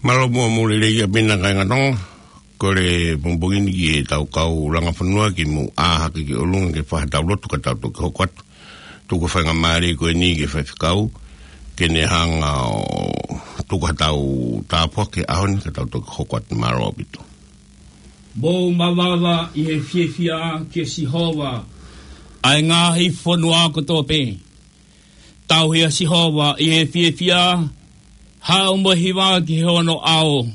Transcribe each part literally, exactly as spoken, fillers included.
Mālō muʻa mo e lelei ʻaupito kāinga Tonga. Kole pongipongi ni ki heʻetau kau langa fonua ke mou ʻā hake ki ʻolunga ke fai haʻatau lotu ka tau toki hoko atu. Tuku e faingamālie ko eni ki he faifekau ke ne hanga ʻo tuku haʻatau tāpuaki he ʻaho ni ka tau toki hoko atu. Mālō ʻaupito. Mou mavava ʻi he fiefia kia Sihova, ʻa e ngaahi fonua kotoa pē. Tauhi ʻa Sihova ʻi he fiefia, haʻu mo e hiva ki hono ʻao.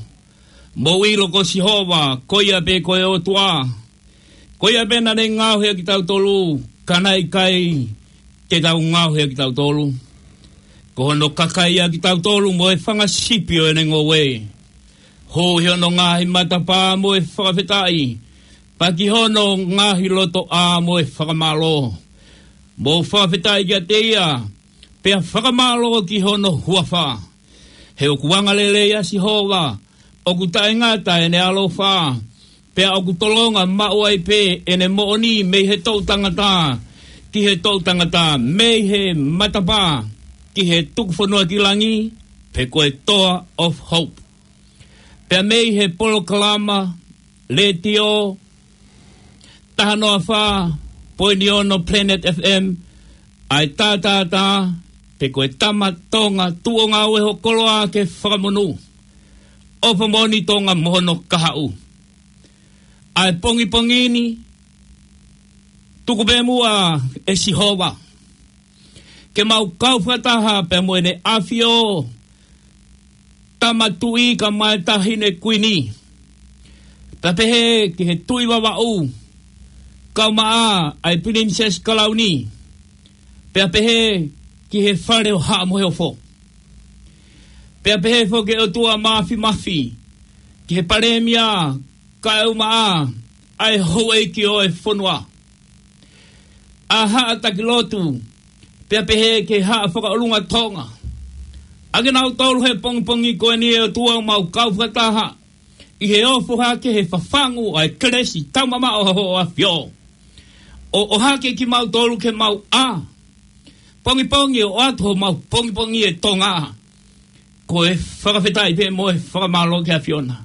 Mou ʻilo ko Sihova, ko ia pē ko e ʻOtua. Ko ia pē naʻa ne ngaohi ʻa kitautolu, ka naʻe ʻikai te tau ngaohi ʻa kitautolu. Ko hono kakai ʻa kitautolu mo e fanga sipi ʻo ʻene ngoue. Hū ʻi hono ngaahi matapā mo e fakafetaʻi, pea ki hono ngaahi lotoʻā mo e fakamālō. Mou fakafetaʻi kiate ia, pea fakamālō ki hono huafa. He ʻoku angalelei ʻa Sihova, ʻoku taʻengata ʻene ʻaloʻofa, pea ʻoku tolonga maʻu ai pē ʻene moʻoni mei he toʻutangata ki he toʻutangata, mei he matapā ki he tuku fonua ki langi, pe ko e Toa of Hope. Pea mei he polokalama letiō taha noa fā poini ono Planet F M, ʻa e tātātā, pe ko e tama Tonga tuʻunga ʻo e hokoloa ke fakamonū. ʻOfa moʻoni Tonga mo hono kahaʻu. ʻA e pongipongi ni, tuku pē muʻa ʻe Sihova ke mau kau fakataha pea mo ʻEne ʻAfio, Tama Tuʻi kae ʻumaʻā e Taʻahine Kuini. Pea pehē ki he Tuʻi Vavaʻu, kae ʻumaʻā ʻa e Pilinisesi Kalauni. Pea pehē ki he Fale ʻo Haʻa Moheofo. Pea pehē foki ki he ʻOtua Māfimafi, ki he Palēmia, kae ʻumaʻā ʻa e houʻeiki ʻo e fonua, ʻa e haʻa taki lotu, pea pehē ki he Haʻa Fakaʻolunga Tonga. ʻA kinautolu he pongipongi ko eni ʻe ʻOtua ʻoku mau kau fakataha ʻi he ofo hake he fafangu ʻa e kelesi taumamaʻo ʻa Hoʻo ʻAfio. ʻO, ʻohake kimautolu ke mau ʻā pongipongi ʻo ʻoatu homau pongipongi ʻe Tonga. Ko e fakafetaʻi pē mo e fakamālō ki he ʻAfiona.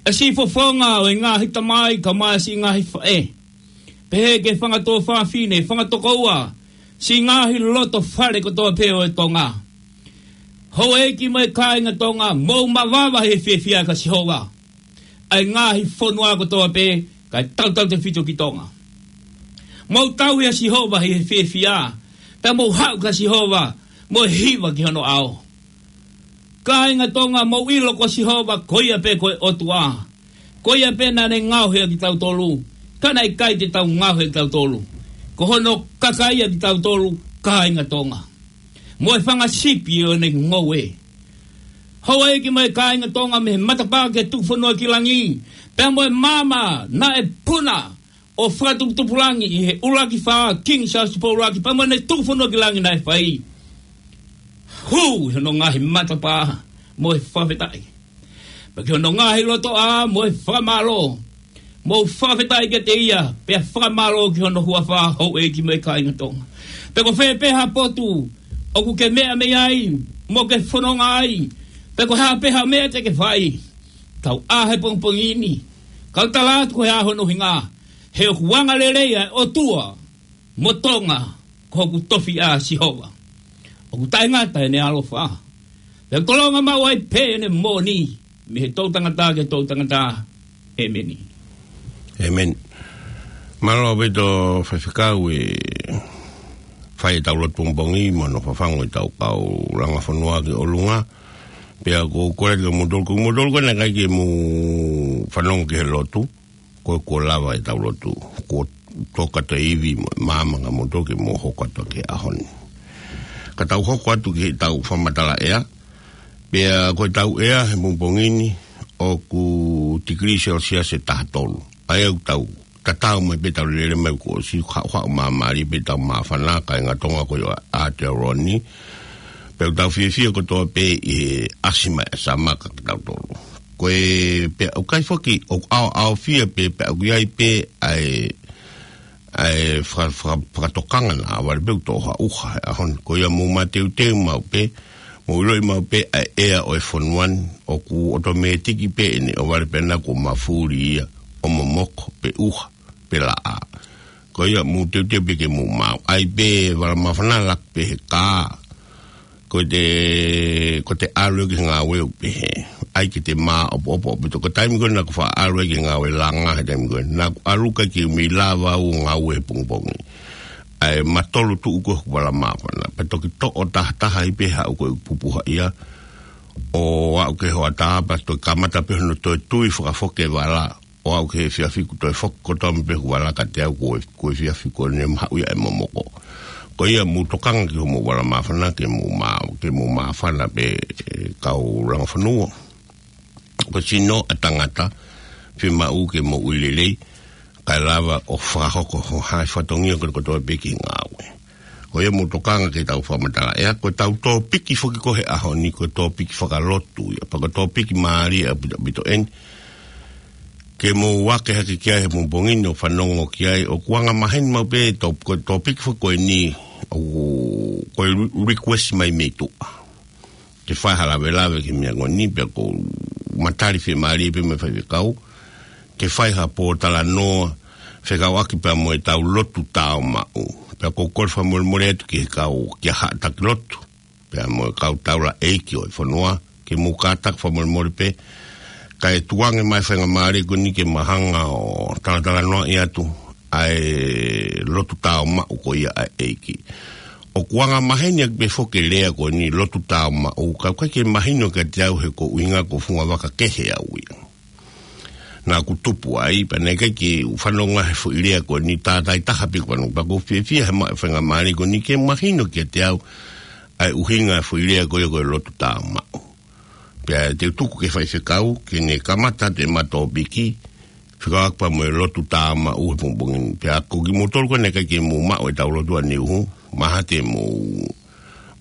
ʻA e siʻi fofonga ʻo e ngaahi tamai kae ʻumaʻā e siʻi ngaahi faʻē. Pehē ki he fanga tuofāfine, fanga tokoua, siʻi ngaahi loto fale kotoa pē ʻo e Tonga. Houʻeiki mo e kāinga Tonga, mou mavava he fiefia kia Sihova, ʻa e ngaahi fonua kotoa pē, kae tautautefito ki Tonga. Mou tauhi ʻa Sihova he fiefia, pea mou haʻu kia Sihova mo e hiva ki hono ʻao. Kāinga Tonga, mou ʻilo ko Sihova, ko ia pē ko e ʻOtua. Ko ia pē naʻa ne ngaohi ʻa kitautolu, ka naʻe ʻikai te tau ngaohi ʻa kitautolu. Ko hono kakai ʻa kitautolu, kāinga Tonga, mo e fanga sipi ʻo ʻene ngoue. Houʻeiki mo e kāinga Tonga, mei he matapā ki he tuku fonua ki langi, pea mo e maama naʻe puna ʻo fakatuputupulangi ʻi he ʻUluaki Fā, King Charles Tupou ʻUluaki, pea mo ʻene tuku fonua ki langi naʻe fai. Hū ʻi hono ngaahi matapā mo e fakafetaʻi, pea ki hono ngaahi lotoʻā mo e fakamālō. Mou fakafetaʻi kiate ia, pea fakamālō ki hono huafa, houʻeiki mo e kāinga Tonga. Pe ko fē pē ha potu ʻoku ke meʻa mei ai mo ke fononga ai, pe ko e hā pē ha meʻa te ke fai, tau ʻā he pongipongi ni, kau tala atu ko e ʻaho hono hinga, he ʻoku angalelei ʻa e ʻOtua mo Tonga, ko hoku tofiʻa ʻa Sihova. ʻOku taʻengata ʻene ʻaloʻofa, pea ʻoku tolonga maʻu ai pē ʻene moʻoni mei he toʻutangata ki he toʻutangata. ʻĒmeni. ʻĒmeni. Mālō ʻaupito Faifekau ʻi he fai ʻetau lotu pongipongi mo hono fafangu ʻetau kau langa fonua ki ʻolunga. Pea ʻoku ou kole atu kiate kimoutolu, ko kimoutolu ko ē naʻe ʻikai ke mou fanongo ki he lotu, ko e kuo lava ʻetau lotu, kuo tō kātoa e ivi mo e maama kiate kimoutolu ke mou hoko atu ki he ʻaho ni. Ka tau hoko atu ki heʻetau fakamatala ʻea. Pea ko ʻetau ʻea he pongipongi ni ʻoku tikilī Celsius ʻe taha tolu. ʻA ia ʻoku tau tatau mai pē, tau lele mai kuo ʻosi, haʻuhaʻu māmālie pē ʻetau māfana, kāinga Tonga, ko ia ʻa Aotearoa ni. Pea ʻoku tau fiefia kotoa pē ʻi he ʻasi mai ʻa e summer kiate kitautolu. Ko e pea ʻoku ʻikai foki, ʻoku ʻaoʻaofia pē, pea ʻoku ʻi ai pē ʻa e, ʻa e faka-, faka-, fakatokanga naʻa vale pē ʻoku toʻo ha ʻuha he ʻaho ni. Ko ia mou mateuteu maʻu pē, Mou ʻiloʻi maʻu pē ʻa e ʻea ʻo e fonua ni, ʻoku ʻotomētiki pē ʻene ʻohovale pē naʻa kuo mafuli ia ʻo momoko, pe ʻuha, pe laʻā. Ko ia mou teuteu pē ke mou maʻu. ʻAi pē vala māfana, laku pē he kā. Ko te, ko te ʻalu ki he ngāue ʻoku pehē. ʻAi ke te māʻopoʻopo ʻaupito. Ko e taimi ko ē naʻa ku faʻa ʻalu ai ki he ngāue langa he taimi ko ē. Naʻa ku ʻalu ʻikai ke u mei lava ʻo ngāue he pongipongi. ʻAi, matolu tuʻu ko ē hoku vala māfana. Pea toki toʻo tahataha ai pē haʻu ko ē pupuha ia. ʻO aʻu ki he hoʻatā pea toki kamata pē hono toe tui fakafoki e vala. ʻO aʻu ki he efiafi kuo toe foki kotoa mai pē hoku vala kiate au, ko e, ko e efiafi ko eni ʻe maʻu ia ʻe momoko. Ko ia mou tokanga ki hoʻomou vala māfana ke mou mā-, ke mou māfana pē, ʻe kau langa fonua. Ko e sino ʻa e tangata, fiemaʻu ke moʻui lelei, kae lava ʻo fakahoko ho hā e fatongia kotoa pē ki he ngāue. Ko ia mou tokanga ki heʻetau fakamatala ʻea, ko ʻetau tōpiki foki ko ē he ʻaho ni, ko e tōpiki fakalotu ia. Pea ko e tōpiki mālie ʻaupito ʻeni, ke mou ake hake ki ai he pongipongi ni ʻo fanongo ki ai, ʻoku anga maheni maʻu pē tō-, ko e tōpiki foki ko eni, ʻoku, ko e re-, request mai mei tuʻa. Ke fai ha lavelave ki he meʻa ko eni, pea ʻoku ou matali fiemālie pē mo e faifekau, ke fai ha pōtalanoa fekauʻaki pea mo ʻetau lotu tāumaʻu. Pea ʻoku ou kole fakamolemole atu ki he kau, ki he haʻa taki lotu, pea mo e kau taulaʻeiki ʻo e fonua, ke mou kātaki fakamolemole pē, kae tukuange mai e faingamālie ko eni ke ma hanga ʻo talatalanoaʻi atu ʻa e lotu tāumaʻu ko ia ʻa e ʻEiki. ʻOku anga maheni ʻaki pē foki e lea ko eni, lotu tāumaʻu, ka ʻoku ʻikai ke mahino kiate au he ko e ʻuhinga ko e fungavaka kehe au ia. Naʻa ku tupu ai, pea naʻe ʻikai ke u fanongo he foʻi lea ko eni, tātātaha pē ʻeku fanongo, pea ʻoku ou fiefia he maʻu e faingamālie ko eni ke mahino kiate au ʻa e ʻuhinga e foʻi lea ko ia ko e lotu tāumaʻu. Pea te u tuku ki he faifekau, ke ne kamata atu ʻema tōpiki, fekauʻaki pea mo e lotu tāumaʻu he pongipongi ni. Pea ko kimoutolu ko ē naʻe ʻikai ke mou maʻu ʻetau lotu ʻaneuhu, mahalo te mou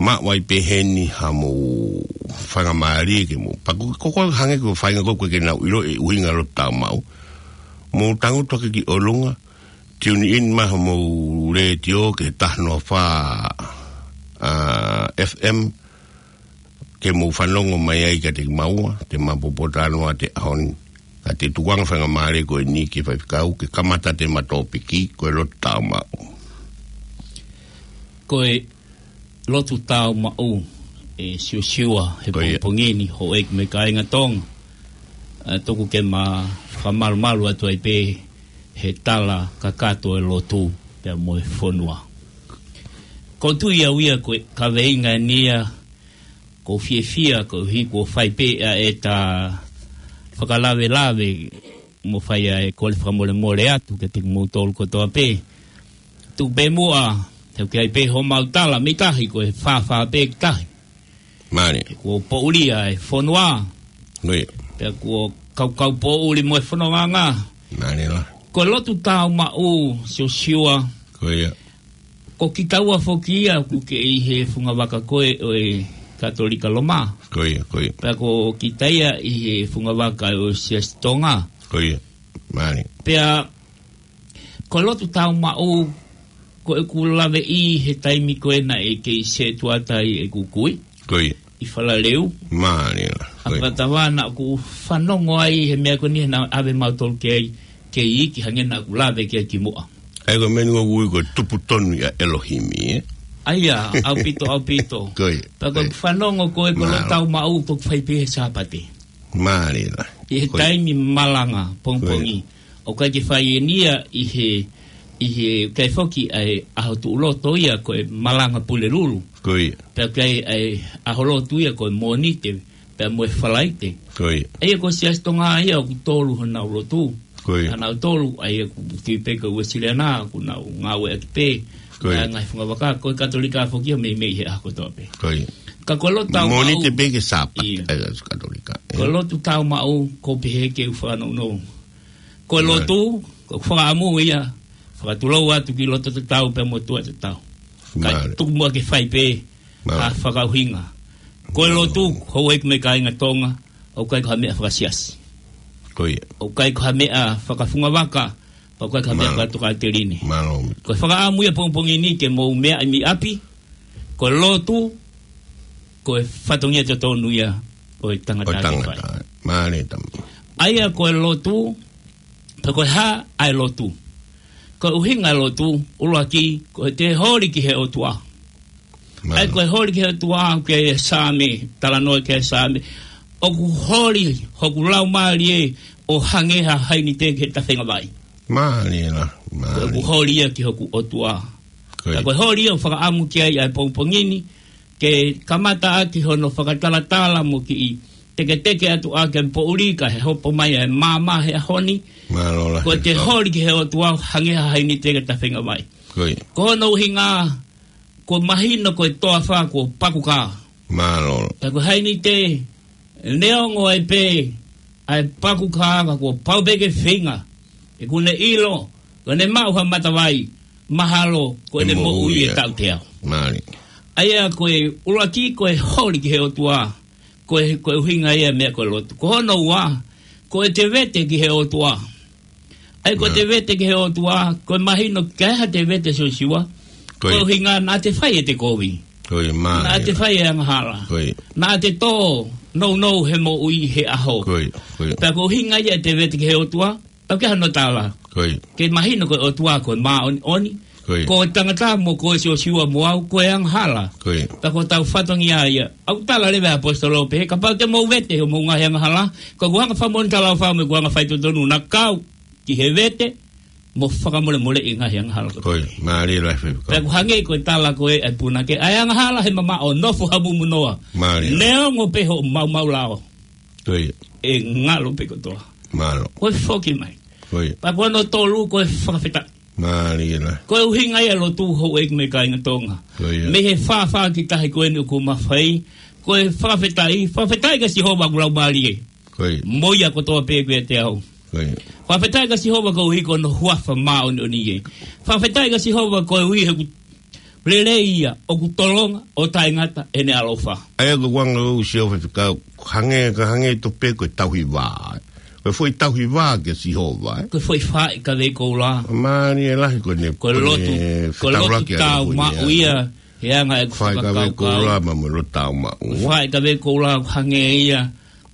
maʻu ai pē heni haʻamou faingamālie ke mou. Pea ko, ko, ko e hangē ko e faʻahinga ko ē ʻoku ʻikai ke nau ʻilo e ʻuhinga lotu tāumaʻu. Mou tangutu hake ki ʻolunga, tune in mai homou letiō ki he taha noa fā, ʻa, F M, ke mou fanongo mai ai kiate kimaua, te ma pōtalanoa atu he ʻaho ni. Ka te tukuange e faingamālie ko eni ki he faifekau, ke kamata atu ʻema tōpiki, ko e lotu tāumaʻu. Ko e lotu tāumaʻu, ʻe Siosiua, he Ko ia. pongipongi ni, houʻeiki mo e kāinga Tonga. ʻA, tuku ke ma fakamalumalu atu ai pē he tala kakato e lotu, pea mo e fonua. ʻOku ou tui au ia ko e kaveinga eni ia, ʻoku ou fiefia, koeʻuhi kuo fai pē ʻa ʻeta fakalavelave, mo fai ʻa e kole fakamolemole atu kiate kimoutolu kotoa pē. Tuku pē muʻa, he ʻoku ʻi ai pē homau tala, mei tahi ko e fāfā pē ki tahi. Mālie. He kuo poʻuli ʻa e fonua. Ko ia. Pea kuo kaukau poʻuli mo e fonongaʻanga. Mālie lahi. Ko e lotu tāumaʻu, Siosiua. Ko ia. Ko kitaua foki ia ʻoku kei ʻi he fungavaka ko ē ʻo e Katolika Loma. Ko ia, ko ia. Pea ko kita ia ʻi he fungavaka ʻo e Siasi Tonga. Ko ia. Mālie. Pea ko e lotu tāumaʻu, ko ʻeku laveʻi he taimi ko ē naʻe kei sētuata ai ʻeku kui. Ko ia. ʻI Falaleu. Mālie. ʻA Ko ia. Patavana ʻoku fanongo ai he meʻa ko eni naʻa ʻave mautolu ki ai, kei iiki hangē naʻa ku lave ki ai kimuʻa. ʻA ia ko e meʻa ni ʻoku ui ko e tupu tonu ʻia ʻElohimi, ē? ʻA ia, ʻaupito, ʻaupito. Ko ia. Pea ko Ko ia. ʻeku fanongo ko ē ko e lotu Mālie. tāumaʻu ʻoku fai pē he Sāpate. Mālie lahi. ʻI he Ko ia. taimi malanga, pongipongi. Ko ia. ʻOku ʻikai ke fai eni ia ʻi he, ʻi he, ʻikai foki ʻa e ʻaho tuʻuloto ia ko e malanga Pulelulu. Ko ia. Pea ʻikai ʻa e ʻaho lotu ia ko e Mōnite, pea mo e Falaite. Ko ia. ʻA ia ko e Siasi Tonga ia ʻoku tolu honau lotu. Ko ia. Honau tolu, ʻa ia ʻoku tui pē ko e Uēsiliana, ʻoku nau ngāueʻaki pē. Ko ia. ʻA e ngaahi fungavaka, ko e Katolika foki ia meimei he ʻaho kotoa pē. Ko ia. Ka ko e lotu tāumaʻu. Mōnite pē ki he Sāpate, Ia. ʻa e Katolika. Ko e lotu tāumaʻu, ʻoku ou pehē ke u fakanounou. Ko e Ia. lotu, ko e fakaʻamu ia, fakatulou atu ki loto tatau pea mo tuʻa tatau. Ka Mālie. tuku muʻa ke fai pē, Mālie. ha fakaʻuhinga. Ko e lotu, houʻeiki mo e kāinga Tonga, ʻoku ʻikai ko ha meʻa fakasiasi. Ko ia. ʻOku ʻikai ko ha meʻa fakafungavaka, pea ʻoku ʻikai ko ha meʻa Mālie. fakatokāteline. Mālie. Ko e fakaʻamu ia pongipongi ni ke mou meʻa ʻi ʻapi, ko e lotu, ko e fatongia totonu ia ʻo e tangata ʻo e ke fai. Tangata. Mālie tama. ʻA ia ko e lotu, pe ko e hā ʻa e lotu. Ko e ʻuhinga ʻa e lotu, ʻuluaki, ko ʻete holi ki he ʻOtua. Mālie. ʻA ia ko e holi ki he ʻOtua, ke Saame, talanoa ki he Saame. ʻOku holi hoku laumālie ʻo hangē ha hainite ki he tafenga vai. Mālie la, mālie. Ko ʻeku holi ia ki hoku ʻOtua. Ko ia. Ka ko e holi ia ʻoku fakaʻamu ki ai ʻa e pongipongi ni, ke kamata ʻaki hono fakatalatala mo kiʻi teketeke atu ʻaki e poʻuli kae hopo mai ʻa e maama he ʻaho ni. Mālō lahi. Ko ʻete holi ki he ʻOtua hangē ha hainite ki he tafenga vai. Ko ia. Ko hono ʻuhinga, kuo mahino ko e toafa kuo pakukā. Mālō. Ka ko e hainite, neongo ai pē ʻa e pakukā ka kuo pau pē ke feinga. He ʻoku ne ʻilo, ko ʻene maʻu ha matavai, mahalo, ko ʻene moʻui ʻe tautea. Mālie. ʻA ia ko e ʻuluaki ko e holi ki he ʻOtua, ko e, ko e ʻuhinga ia e meʻa ko e lotu. Ko hono ua, ko ʻete vete ki he ʻOtua. ʻA ia ko ʻete vete ki he ʻOtua, ko e mahino kae ʻai haʻate vete Siosiua. Ko ia. Ko e ʻuhinga naʻa te fai ʻete kovi. Ko ia, mālie. Naʻa te fai e angahala. Ko ia. Naʻa te tō nounou he moʻui he ʻaho. Ko ia, ko ia. Pea ko e ʻuhinga ia ʻete vete ki he ʻOtua, ʻoku ʻikai hano tala. Ko ia. Ke mahino ko e ʻOtua ko e māʻoniʻoni. Ko ia. Ko e tangata mo koe Siosiua mo au, ko e angahala. Ko ia. Pea ko hotau fatongia ia. ʻOku tala leva ʻe he ʻaposetolo pehē, kapau te mou vete hoʻomou ngaahi angahala, ko ʻeku anga fakamoʻoni talaʻofa mo ʻeku anga faitotonu naʻa kau ki he vete, mo fakamolemoleʻi e ngaahi angahala. Ko ia, mālie lahi faifekau. Pea ʻoku hangē ko e tala ko ē ʻa e punake, ʻa e angahala he mamaʻo, nofo hamumu noa. Mālie. Neongo pē hoʻo maumau lao. Ko ia. ʻE ngalo pē kotoa. Mālō. Ko e foki mai. Ko ia. Pea ko hono tolu ko e fakafetaʻi. Mālie lahi. Ko e ʻuhinga ia e lotu houʻeiki mo e kāinga Tonga. Ko ia. Mei he fāfā ki tahi ko eni ʻoku ma fai, ko e fakafetaʻi, fakafetaʻi kia Sihova ʻeku laumālie. Ko ia. Mo ia kotoa pē ʻoku ʻiate au. Ko ia. Fakafetaʻi kia Sihova koeʻuhi ko hono huafa māʻoniʻoni ia. Fakafetaʻi kia Sihova koeʻuhi he ʻoku lelei ia, ʻoku tolonga ʻo taʻengata ʻene ʻaloʻofa. ʻA ia ko e ʻuhinga ʻo Sihova faifekau, hangē, ka hangē tofu pē ko e tauhi vā. Ko e foʻi tauhi vā kia Sihova, ē? Ko e foʻi faʻi kavei koula. Mālie lahi ko ʻene, ko e lotu, ko e lotu tāumaʻu ia, he anga ʻeku fakakaukau. Faʻi kavei koula, ma mo e lotu tāumaʻu. Faʻi kavei koula hangē ia,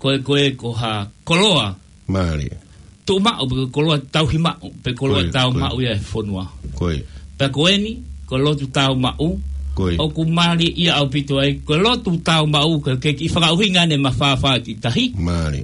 ko e, ko e, ko ha koloa. Mālie. Tuʻu maʻu, pe ko e koloa tauhi maʻu, pe ko e koloa tāumaʻu ia ʻa e fonua. Ko ia. Pea ko eni, ko e lotu tāumaʻu. Ko ia. ʻOku mālie ia ʻaupito ai, ko e lotu tāumaʻu, ke, ke kiʻi fakaʻuhinga ʻene mafāfā ki tahi. Mālie.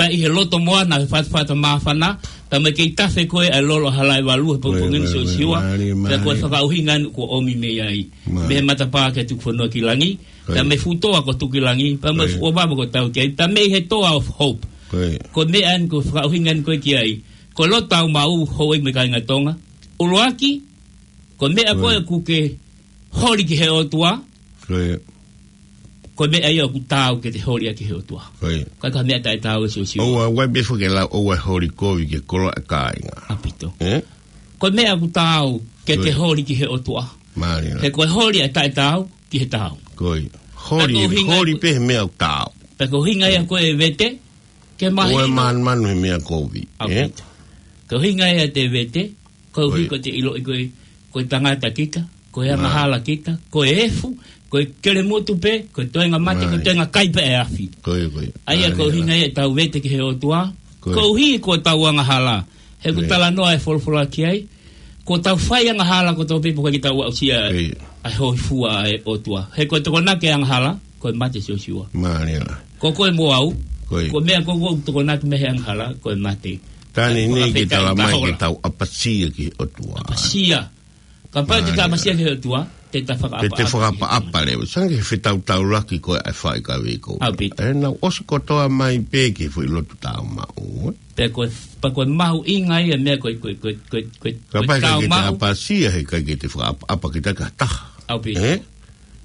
Pea ʻi he loto moana, he fatafata māfana, pea mo e kei tafe ko ē ʻa e lolo ʻa Halaevalu, he pongipongi ni Siosiua. Mālie, mālie. Pea ko e fakaʻuhinga eni kuo ʻomi mei ai. Mālie. Mei he matapā ki he tuku fonua ki langi. Ko ia. Pea mei he fuʻu toa ko Tukilangi, pea mei he fuʻu ʻovava ko Tauteaʻi, pea mei he Toa of Hope. Ko ia. Ko e meʻa eni ko e fakaʻuhinga eni ko ē ki ai. Ko e lotu tāumaʻu houʻeiki mo e kāinga Tonga. ʻUluaki, ko e meʻa ko ē ʻoku ke holi ki he ʻOtua. Ko ia. Ko e meʻa ia ʻoku taau ke te holi ʻaki ki he ʻOtua. Ko ia. Ka ko e meʻa taʻetaau ē Siosiua. ʻOua, ʻoua pē foki ke lau, ʻoua holi kovi ki he koloa ʻa e kāinga. ʻAupito. Ē? Ko e meʻa ʻoku taau ke te holi ki he ʻOtua. Mālie. He ko e holi ʻa e taʻetaau ki he taau. Ko ia. Holi, holi pē he meʻa ʻoku taau. Pea ko e ʻuhinga ia ko e vete, ke mahino. ʻOua ʻe manumanu he meʻa kovi, ē? ʻAupito. Ko e ʻuhinga ia ʻete vete, koeʻuhi ko ia. Ko e te ʻiloʻi ko e, ko e tangata kita, ko e angahala kita, ko e efu, ko e kelemutu pē, ko e toenga mate, ko e toenga kai pē ʻa e afi. Ko ia, ko ia. ʻA ia ko e ʻuhinga ia ʻetau vete ki he ʻOtua, koeʻuhi ko ʻetau angahala. He ʻoku talanoa e folofola ki ai, ko ʻetau fai angahala kotoa pē ʻoku ʻikai ke tau aʻusia ʻa e hōifua ʻa e ʻOtua. He ko e tokonaki e angahala, ko e mate Siosiua. Mālie. Ko koe mo au, ko e meʻa ko ē ʻoku tokonaki mei he angahala, ko e mate. Tani nei ke tala mai ke tau ʻapasia ki he ʻOtua. ʻApasia. Kapau te ta ʻapasia ki he ʻOtua, te ta fakaʻapaʻapa. Te te fakaʻapaʻapa leva. Sange he fetaulaki ko ē ʻa e faʻi kavei koula. ʻAupito. ʻE nau ʻosi kotoa mai pē ki he foʻi lotu tāumaʻu, ē? Pea ko e, pea ko e mahuʻinga ia e meʻa ko e, ko e, ko e tāumaʻu. Kapau ʻikai ke te ʻapasia he ʻikai ke te fakaʻapaʻapa ki ha taha. ʻAupito. Ē?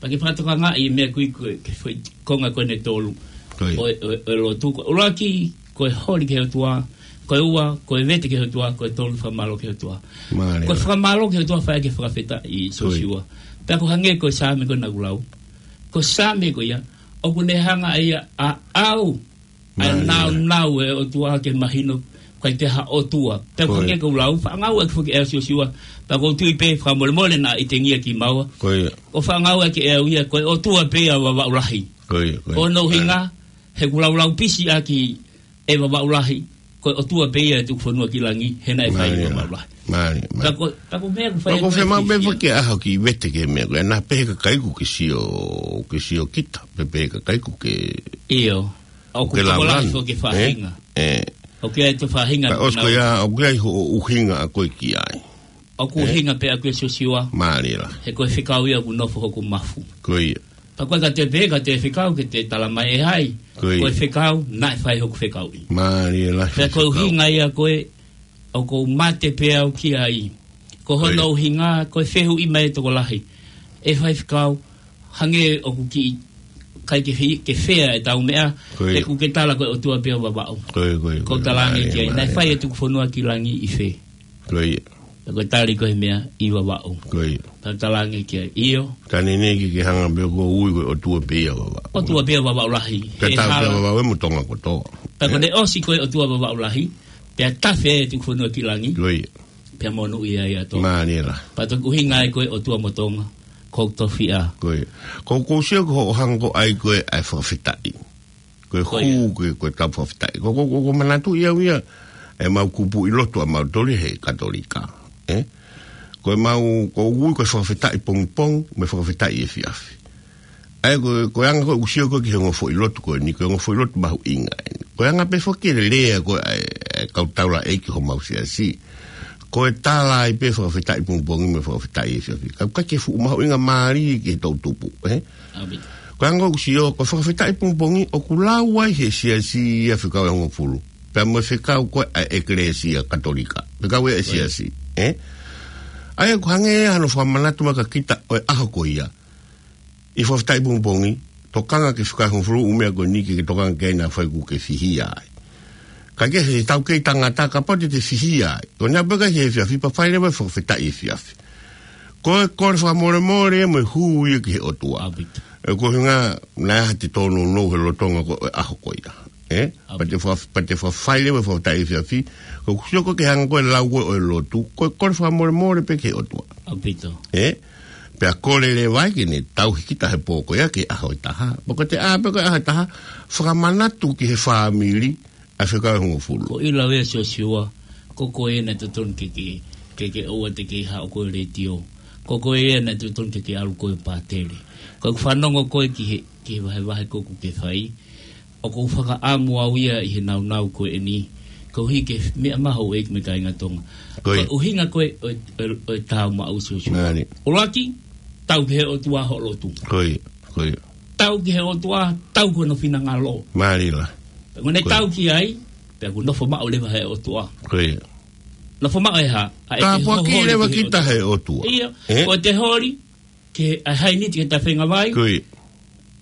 Pea ke fakatokangaʻi e meʻa ko ē ko e, ki he foʻi konga ko eni ʻe tolu. Ko ia. ʻO e, ʻo e, ʻo e lotu. Ko e ʻuluaki, ko e holi ki he ʻOtua. Ko e ua, ko e vete ki he ʻOtua. Ko e tolu, fakamālō ki he ʻOtua. Mālie. Ko e fakamālō ki he ʻOtua fai ʻaki e fakafetaʻi Siosiua. Ko ia. Pea ʻoku hangē ko e Saame ko ē naʻa ku lau. Ko e Saame ko ia, ʻoku ne hanga ʻe ia ʻo ʻau ʻa e nāunau ʻo e ʻOtua ke mahino ʻIkai ke ha ʻotua. Pea ko e hangē ko e lau, fakaʻaongaʻi ʻaki foki ʻe au Siosiua. Pea ʻoku ou tui pē fakamolemole naʻa ʻikai te u ngia ki maua. Ko ia. ʻOku fakaʻaongaʻi ʻaki ʻe au ia, ko e ʻOtua pē ia Vavaʻu Lahi. Ko ia, ko ia. ʻO hono ʻuhinga, he ʻoku laulau pisi ʻaki ʻe Vavaʻu Lahi, ko e ʻOtua pē ia ʻe tuku fonua ki langi, he naʻe fai ʻe Vavaʻu Lahi. Mālie, mālie. Pea ko, pea ko e meʻa ʻoku fai ʻe Siosiua. Pea ko e meʻa pē ke ʻaho ki vete ki he meʻa ko ē, naʻa pehē kakai ʻoku ke sio, ke sio kita, pea pehē kakai ʻoku ke ʻIo. ʻOku ke tokolahi laulau. Foki e faʻahinga. ʻĒ. ʻOku ʻi ai e faʻahinga. Pea ʻosi ko ia, ʻoku ʻi ai hoʻo ʻuhinga ʻa koe ki ai. ʻOku ʻuhinga pē ʻaku ʻe Siosiua. Mālie lahi. He ko e fekau ia ʻoku nofo hoku mafu. Ko ia. Pea ko e ka te pē, ka te fekau ke te tala mai ʻe hai. Ko ia. Ko e fekau, naʻe fai hoku fekauʻi. Mālie lahi. Pea ko e fekau. ʻUhinga ia ko ē, ʻoku ou mate pē au ki ai. Ko hono ʻuhinga, ko e fehuʻi mai e tokolahi. ʻE Faifekau, hangē ʻoku kiʻi ʻikai ke fi-, ke fea ʻetau meʻa, he ʻoku ke tala ko e ʻOtua pē ia Vavaʻu. Ko ia, ko ia, ko ia. Ko e talaange ki ai, naʻe fai e tuku fonua ki langi ʻi fē? Ko ia. Ko e tali ko e meʻa ʻi Vavaʻu. Ko ia. Pea talaange ki ai, ʻio. Ka ne ne ke ke hanga pē ʻo ui ko e ʻOtua pē ia Vavaʻu. ʻOtua pē ia Vavaʻu Lahi. Pea tafe pē ia Vavaʻu mo Tonga kotoa. Pea ko ʻene ʻosi ko e ʻOtua Vavaʻu Lahi, pea tafe e tuku fonua ki langi. Ko ia. Pea monūʻia ia Tonga. Mālie lahi. Pea toki ʻuhinga ai ko e ʻOtua mo Tonga, ko e tofiʻa. Ko ia. Ko, ʻoku ou sio ko hoʻo hanga ko ē ʻai ko ē ʻa e fakafetaʻi. Ko e hū ko ē, ko e tau fakafetaʻi. Ko, ko, ko, ʻoku ou manatuʻi au ia, ʻemau kupuʻi lotu ʻamautolu he Katolika. ʻĒ? Ko ʻemau, ʻoku ou ui ko e fakafetaʻi pongipongi, mo e fakafetaʻi efiafi. ʻA ia ko, ko e anga ko ē ʻoku sio ko ē ki he ongo foʻi lotu ko eni, ko e ongo foʻi lotu mahuʻinga eni. Ko e anga pē foki e lea ko ē ʻa e, ʻa e kau taulaʻeiki homau siasi. Ko e tala ai pē fakafetaʻi pongipongi mo e fakafetaʻi efiafi. Ka ʻoku ʻikai ke fuʻu mahuʻinga mālie ki he toʻutupu, ē? ʻAupito. Ko e anga ʻoku sio, ko e fakafetaʻi pongipongi, ʻoku lau ai he siasi ia fekau ʻe hongofulu. Pea mo e fekau ko ē ʻa e ʻEkelesia Katolika. Fekau ʻa e siasi, ē? ʻA ia ʻoku hangē ia hano fakamanatu mai kia kita ʻo e ʻaho ko ia. ʻI he fakafetaʻi pongipongi, tokanga ki he fekau ʻe hongofulu ʻū meʻa ko eni ke ke tokanga ki ai naʻa fai ʻoku ke fihia ai. Ka ke he tau kei tangata kapau te te fihia ai. Ko ʻene ʻalu pē ki he efiafi pea fai leva e fakafetaʻi efiafi. Ko e kole fakamolemole mo e hū ia ki he ʻOtua. ʻAupito. ʻE ko e ʻuhinga naʻe ʻi ai ha tōnounou he lolotonga ko ē ʻo e ʻaho ko ia. Ē? ʻAupito. Pea te fa-, pea te fa-, fai leva e fakafetaʻi efiafi. Ko ʻeku sio ko ē ki he anga ko ē e lau ko ē ʻo e lotu. Ko e kole fakamolemole pē ki he ʻOtua. ʻAupito. Ē? Pea kole leva ai ke ne tauhi kita he pō ko ia ki he ʻaho ʻe taha. Pea ko ʻete ʻā pē ko ē ʻaho ʻe taha, fakamanatu ki he fāmili ʻa e fekau ʻe hongofulu. Ko e lau ia Siosiua, ko koe naʻe totonu ke ke, ke ke ʻoua te ke haʻu ko e letiō. Ko koe naʻe totonu ke ke ʻalu ko e pātele. Ko ʻeku fanongo ko ē ki he, ki he vahevahe ko ē ʻoku ke fai. ʻOku ou fakaʻamu au ia ʻi he nāunau ko eni, koeʻuhi ko e meʻa mahuʻinga mo e kāinga Tonga. Ko ia. Ko e ʻuhinga ko ē ʻo e, ʻo e, ʻo e tau maʻu Siosiua. Mālie. ʻUluaki, tau ki he ʻOtua hoʻo lotu. Ko ia, ko ia. Tau ki he ʻOtua, tau ki hono finangalo. Mālie lahi. Pea ko ʻene tau ki ai, pea ʻoku nofo maʻu leva he ʻOtua. Ko ia. Nofo maʻu ʻe hā? ʻA e tāpuaki leva kita he ʻOtua. ʻIo, ē? Ko ʻete holi, ke ʻai ha ʻiniti ke ta fengavai. Ko ia.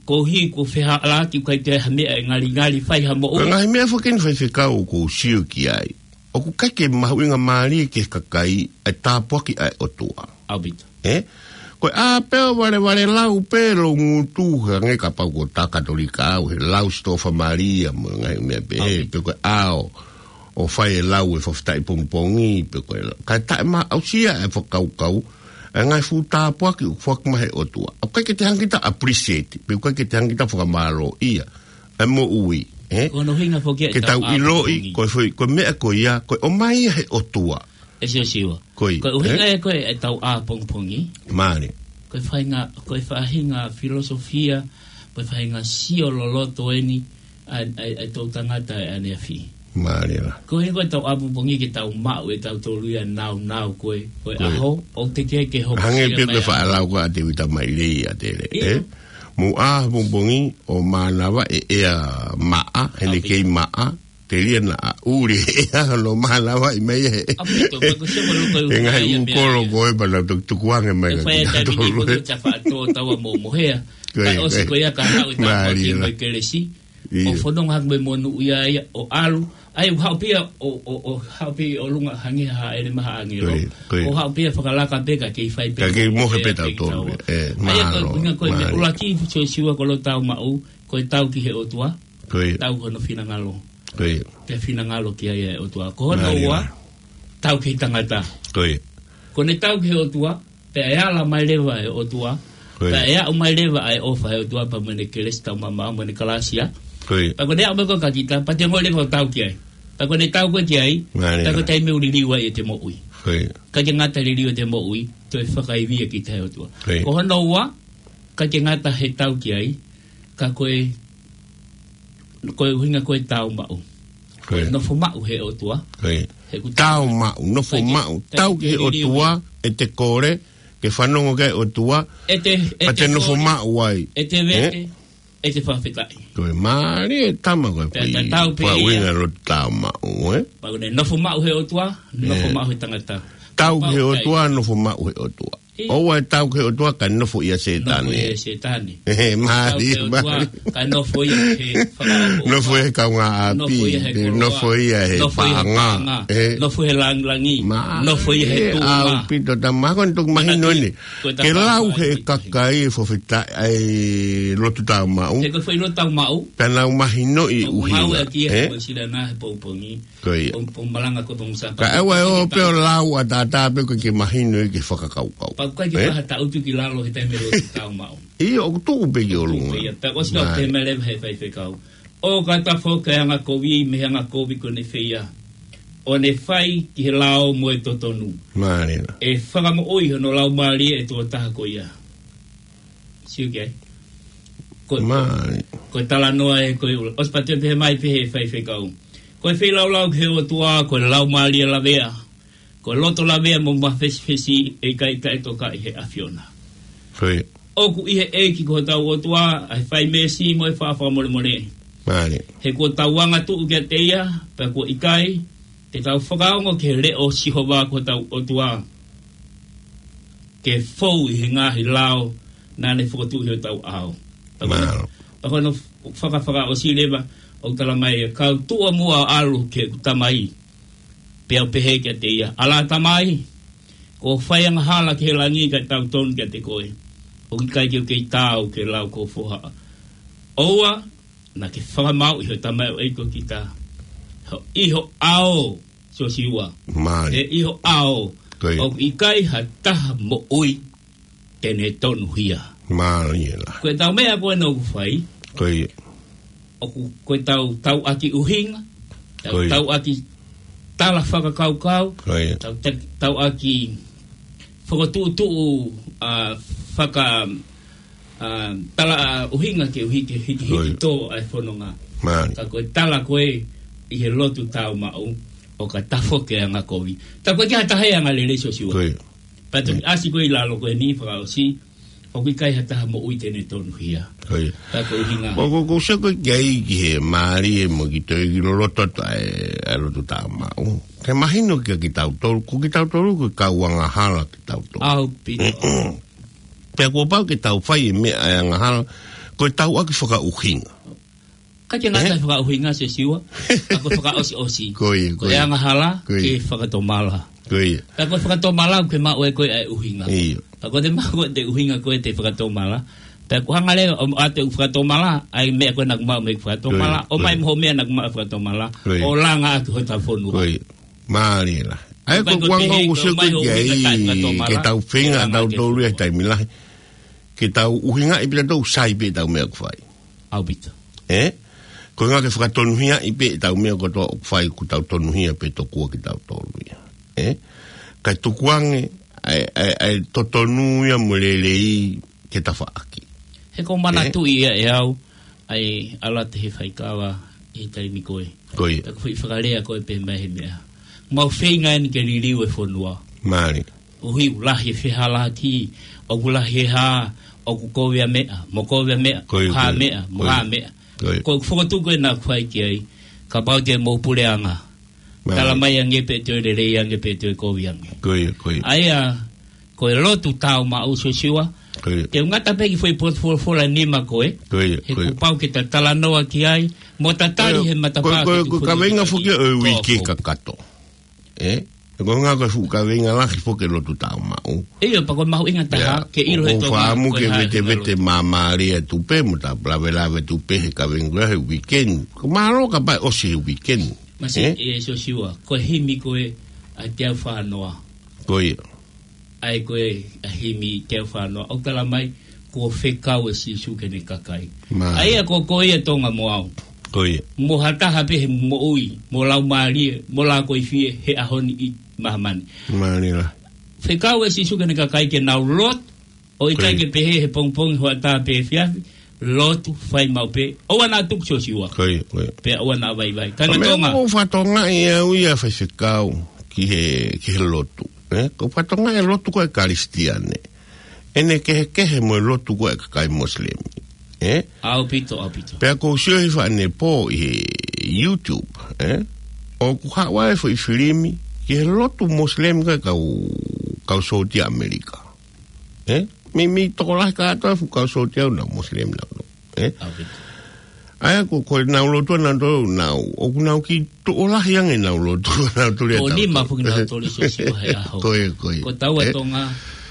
Koeʻuhi ko e fehālaaki ʻoku ʻikai ke ʻi ai ha meʻa ʻe ngalingali fai ha moʻui. Ko e ngaahi meʻa foki eni Faifekau ʻoku ou sio ki ai. ʻOku ʻikai ke mahuʻinga mālie ki he kakai ʻa e tāpuaki ʻa e ʻOtua. ʻAupito. Ē? Ko e ʻā pē ʻo valevale lau pē lou ngutu hangē kapau ko e Katolika au he lau Sitōfa Malia mo e ngaahi meʻa pehē, pe ko e ʻā ʻo fai e lau e fakafetaʻi pongipongi, pe ko e lau. Kae taʻemaʻusia e fakakaukau, e ngaahi fuʻu tāpuaki ʻoku foaki mai he ʻOtua. ʻOku ʻikai ke te hanga kita appreciate, pe ʻoku ʻikai ke te hanga kita fakamālōʻia e moʻui, ē? Ko hono ʻuhinga foki ia e tau ʻā pongipongi. Ke tau ʻiloʻi, ko e foʻi, ko e meʻa ko ia, ko e ʻomai ia he ʻOtua. ʻE Siosiua. Ko ia, ē? Ko e ʻuhinga ia ko ē e tau ʻā pongipongi. Mālie. Ko e faʻahinga, ko e faʻahinga filosofia, ko e faʻahinga sio loloto eni, ʻa, ʻa, ʻa e toʻutangata ʻaneafi. Mālie lahi. Ko e ʻuhinga ko e tau ʻā pongipongi ke tau maʻu ʻe tautolu ia e nāunau ko ē, ko e ʻaho, ʻoku teʻeki ke hoko. Hangē pē ko e faʻa lau ko ē ʻa Tēvita Mailei ʻa Tele, ē? ʻIo. Mou ʻā pongipongi ʻo mānava e ʻea maʻa, he naʻe kei maʻa, telia naʻa ʻuli e ʻea hono mānavaʻi mai ʻe he. ʻAupito, pea ko e sio ko ē ko e ʻū ngaahi ʻū kolo ko ē pea nau toki tukuange mai kia kitautolu. Ko e fai e taimi ni ko e tafa tō taua mo mohea. Ko ia, kae ʻosi ko ia ka haʻu e tāpuaki mo e kelesi. ʻIo. ʻO fononga hake mo e monūʻia ia, ʻo ʻalu. ʻA ia ʻoku haʻu pē ia ʻo, ʻo, ʻo haʻu pē ʻi ʻolunga hangē ha ʻelema ha ʻāngelo. Ko ia, ko ia. ʻO haʻu pē ia fakalaka pē ka kei fai pē. Ka kei mohe pē tautolu. Ē, mālō, mālō. ʻA ia ko e ʻuhinga ko e meʻa ʻuluaki Siosiua ko e tau maʻu, ko e tau ki he ʻOtua. Ko ia. Tau ki hono finangalo. Ko ia. Pea finangalo ki ai ʻa e ʻOtua. Ko hono ua, tau ki he tangata. Ko ia. Ko ʻene tau ki he ʻOtua, pea ʻe ala mai leva ʻa e ʻOtua. Ko ia. Pea ʻe aʻu mai leva ʻa e ʻofa ʻa e ʻOtua pea mo ʻene kelesi taumamaʻo mo ʻene kalāsia. Ko ia. Pea ko ʻene aʻu mai ko ē kia kita, pea te ngoi leva ʻo tau ki ai. Pea ko ʻene tau ko ē ki ai, pea ko e taimi ʻoku liliu ai ʻete moʻui. Ko ia. ʻIkai ke ngata he liliu ʻete moʻui, toe fakaivia kita ʻe he ʻOtua. Ko ia. Ko hono ua, ʻikai ke ngata he tau ki ai, ka ko e, ko e ʻuhinga ko e tau maʻu. Ko ia. Nofo maʻu he ʻOtua. Ko ia. He ʻoku tau maʻu, nofo maʻu, tau ki he ʻOtua, ʻete kole, ke fanongo ki he ʻOtua, ʻete, pea te nofo maʻu ai. ʻEte vete, ʻete fakafetaʻi. Ko e mālie e tama ko e pea pui, tatau pē ia. Ko e ʻuhinga ʻo e tau maʻu, ē? Pea ko ʻene nofo maʻu he ʻOtua, nofo maʻu he tangata. Tau ki he ʻOtua, nofo maʻu he ʻOtua. ʻOua ʻe tau ki he ʻOtua kae nofo ʻia Sētane. Nofo ʻia Sētane. He mālie, mālie. Tau ki he ʻOtua kae nofo ia he fakaʻofoʻofa. Nofo he kaungāʻapi. Nofo ia he koloa. Nofo ia he paʻanga. Nofo ia he paʻanga. Nofo he langilangi. Nofo ia he tuʻunga. Mālie ʻaupito, tama ko ʻene toki mahino eni. Ke lau he kakai ʻe fakafetaʻi ʻa e lotu tau maʻu. He ko e foʻi lotu tau maʻu. Pea nau mahinoʻi ʻuhinga. ʻOku ngāueʻaki ia he pongipongi. Ko ia. Pongipongi malanga ko e pongipongi Sāpate. Ka ʻoua ʻe ō pē ʻo lau ʻataʻatā pē ʻoku ʻikai ke mahino ia ki he fakakaukau. Pea ʻoku ʻikai ke pehē ha taʻutu ki lalo he taimi lotu tau maʻu. ʻIo, ʻoku tuʻu pē ki ʻolunga. Ko ia, pea ʻosi ʻoku pehē mai leva he faifekau. ʻOka tafoki ʻa e anga kovi mei he anga kovi ko ʻene feia, ʻo ne fai ki he lao mo e totonu. Mālie. ʻE fakamoʻui hono laumālie ʻa e tokotaha ko ia. Sio ki ai. Ko e, ko e talanoa ē, ko e ʻuhinga. ʻOsi pea toe pehē mai pē he faifekau. Ko e feilaulau ki he ʻOtua, ko e laumālie lavea. Ko e loto lavea mo mafesifesi ʻe ʻikai taʻetokaʻi he ʻAfiona. Ko ia. ʻOku ʻi he ʻEiki ko hotau ʻOtua, ʻa e fai meesi mo e faʻa fakamolemole. Mālie. He kuo tau angatuʻu kiate ia, pea kuo ʻikai, te tau fakaongo ki he leʻo ʻo Sihova ko hotau ʻOtua. Ke fou ʻi he ngaahi lao naʻa ne fokotuʻu ʻi hotau ʻao. Mālie. Pea ko hono fakafakaʻosi leva, ʻoku tala mai ʻe kau tuʻa muʻa ʻalu ki heʻeku tamai. Pea u pehē kiate ia, ʻAlā tamai, kuo u fai angahala ki he langi kae tautonu kiate koe. ʻOku ʻikai ke u kei taau ke lau ko ho foha. ʻOua, naʻa ke fakamāuʻi ho tamaioʻeiki ko kita. Ho, ʻi ho ʻao, Siosiua. Mālie. He ʻi ho ʻao, ko ia, ʻoku ʻikai ha taha moʻui te ne tonuhia. Mālie lahi. Ko e tau meʻa ko ē naʻa ku fai. Ko ia. ʻOku, ko e tau, tauʻaki ʻuhinga. Tau, ko ia, tauʻaki tala fakakaukau. Ko ia. Tau, ta-, tauʻaki fokotuʻutuʻu, ʻa, faka-, ʻa, tala, ʻa, ʻuhinga ke u hiki, hiki, ko ia, hiki tō ʻa e fononga. Mālie. Ka ko e tala ko ē ʻi he lotu tau maʻu, ʻoka tafoki ʻa e anga kovi. Ka ko e ʻikai ha taha ʻe anga lelei Siosiua. Ko ia. Pea toki, mm, ʻasi ko ē ʻi lalo ko eni fakaʻosi, ʻoku ʻikai ha taha moʻui te ne tonuhia. Ko ia. Pea ko e ʻuhinga. Ko, ko, ko sio ko ē ki ai ki he mālie mo ki toe ki loloto atu ʻa e, ʻa e lotu tau maʻu. Ke mahino kia kitautolu, ko kitautolu ko e kau angahala kitautolu. ʻAupito. Pea kuo pau ke tau fai e meʻa ʻa e angahala, ko e tauʻaki fakaʻuhinga. ʻIkai ke ngata he fakaʻuhinga Siosiua, ka ko e fakaʻosiʻosi. Ko ia, ko ia. Ko e angahala, ko ia, ke fakatomala. Ko ia. Ka ko e fakatomala, ke maʻu ʻe koe ʻa e ʻuhinga. ʻIo. Ka ko e te maʻu ʻe koe ʻa e ʻuhinga ko ē te fakatomala. Pea ko e hanga leva ʻo ʻoatu ʻeku fakatomala, ʻa e meʻa ko ē naʻa ku maʻu mei he fakatomala, ko ia, ʻomai mo ho meʻa naʻa ku maʻu he fakatomala, ko ia, ʻo langa ʻaki hota fonua. Ko ia. Mālie lahi. ʻA ia ko e kuanga ʻoku sio ko ē ki ai, ke tau feinga, tautolu ia he taimi lahi. Ke tau ʻuhingaʻi pē tautolu ʻoku sai pē ʻetau meʻa ʻoku fai. ʻAupito. Ē? Ko e ʻuhinga ke fakatonuhiaʻi pē ʻetau meʻa kotoa ʻoku fai, kuo tau tonuhia pē tokua kitautolu ia. Ē? Kae tukuange ʻa e, ʻa e, ʻa e totonu ia mo e lelei ke tafaʻaki. He ʻoku ou manatuʻi ia ʻe au, ʻa e ʻalu atu he faikava ʻi he taimi ko ē. Ko ia. Pea ko e foʻi fakalea ko ē pē mai he meʻa. Mau feinga eni ke liliu e fonua. Mālie. ʻOku lahi e fehālaaki, ʻoku lahi e hā, ʻoku kovi ʻa meʻa, mo kovi ʻa meʻa, ko ia, hā ko ia, meʻa, mo ko ia, hā meʻa. Ko ia. Ko e fokotuʻu ko ē naʻa ku fai ki ai, kapau te mou puleʻanga. Mālie. Tala mai ange pe toe lelei ange pe toe kovi ange. Ko ia, ko ia. ʻA ia, ko e lotu tau maʻu Siosiua. Ko ia. Te u ngata pē ki he foʻi potu folofola nima ko ē. Ko ia, ko ia. He kuo pau ke ta talanoa ki ai, mo ta tali he matapā ko e, ko e, ko e kaveinga foki ʻo e uike kakato. Ē? Ko e ngaahi ko e fuʻu kaveinga lahi foki e lotu tāumaʻu. ʻIo, pea ko e mahuʻinga taha, ke ʻilo he tonga, ko e hā e vetevete māmālie atu pē, mo ta lavelave atu pē he kaveinga ko ē he weekend. Ko e mālō kapau ʻe ʻosi he weekend. Masi, ē? ʻE Siosiua, ko e himi ko ē ʻa e teau fānoa. Ko ia. ʻA ia ko e ʻa e himi teau fānoa. ʻOku tala mai, kuo fekau ʻe Sīsū ki heʻene kakai. Mālie. ʻA ia ko, ko ia tonga mo au. Ko ia. Mo ha taha pē he moʻui, mo laumālie, mo lākoifie, he ʻaho ni ʻi māmani. Mālie lahi. Fekau ʻe Sīsū ki heʻene kakai ke nau lotu, ʻo ʻikai ke pehē he pongipongi, hoʻatā pe efiafi, lotu fai maʻu pē, ʻoua naʻa tuku Siosiua. Ko ia, ko ia. Pea ʻoua naʻa vaivai. Ka ko e meʻa tonga. Ko e fatongia ia ʻa e faifekau ki he, ki he lotu. Ē? Ko e fatongia e lotu ko e Kalisitiane. ʻEne kehekehe mo e lotu ko ē ʻa e kakai Mosilemi. Ē? ʻAupito, ʻaupito. Pea ʻoku ou sio he faʻahinga pō ʻi he YouTube, ē? ʻOku haʻu ai e foʻi filimi ki he lotu Mosilemi ko ē ʻa e kau, kau sōtia ʻAmelika. Ē? Mei, mei tokolahi kātoa e fuʻu kau sōtia ʻoku nau Mosilemi nautolu. Ē? ʻAupito. ʻA ia ko, ko ʻenau lotu ʻanautolu, nau, ʻoku nau kiʻi tokolahi ange ʻenau lotu ʻanautolu ia. ʻOku nima foki nautolu Siosiua he ʻaho. Ko ia, ko ia. Ko taua tonga,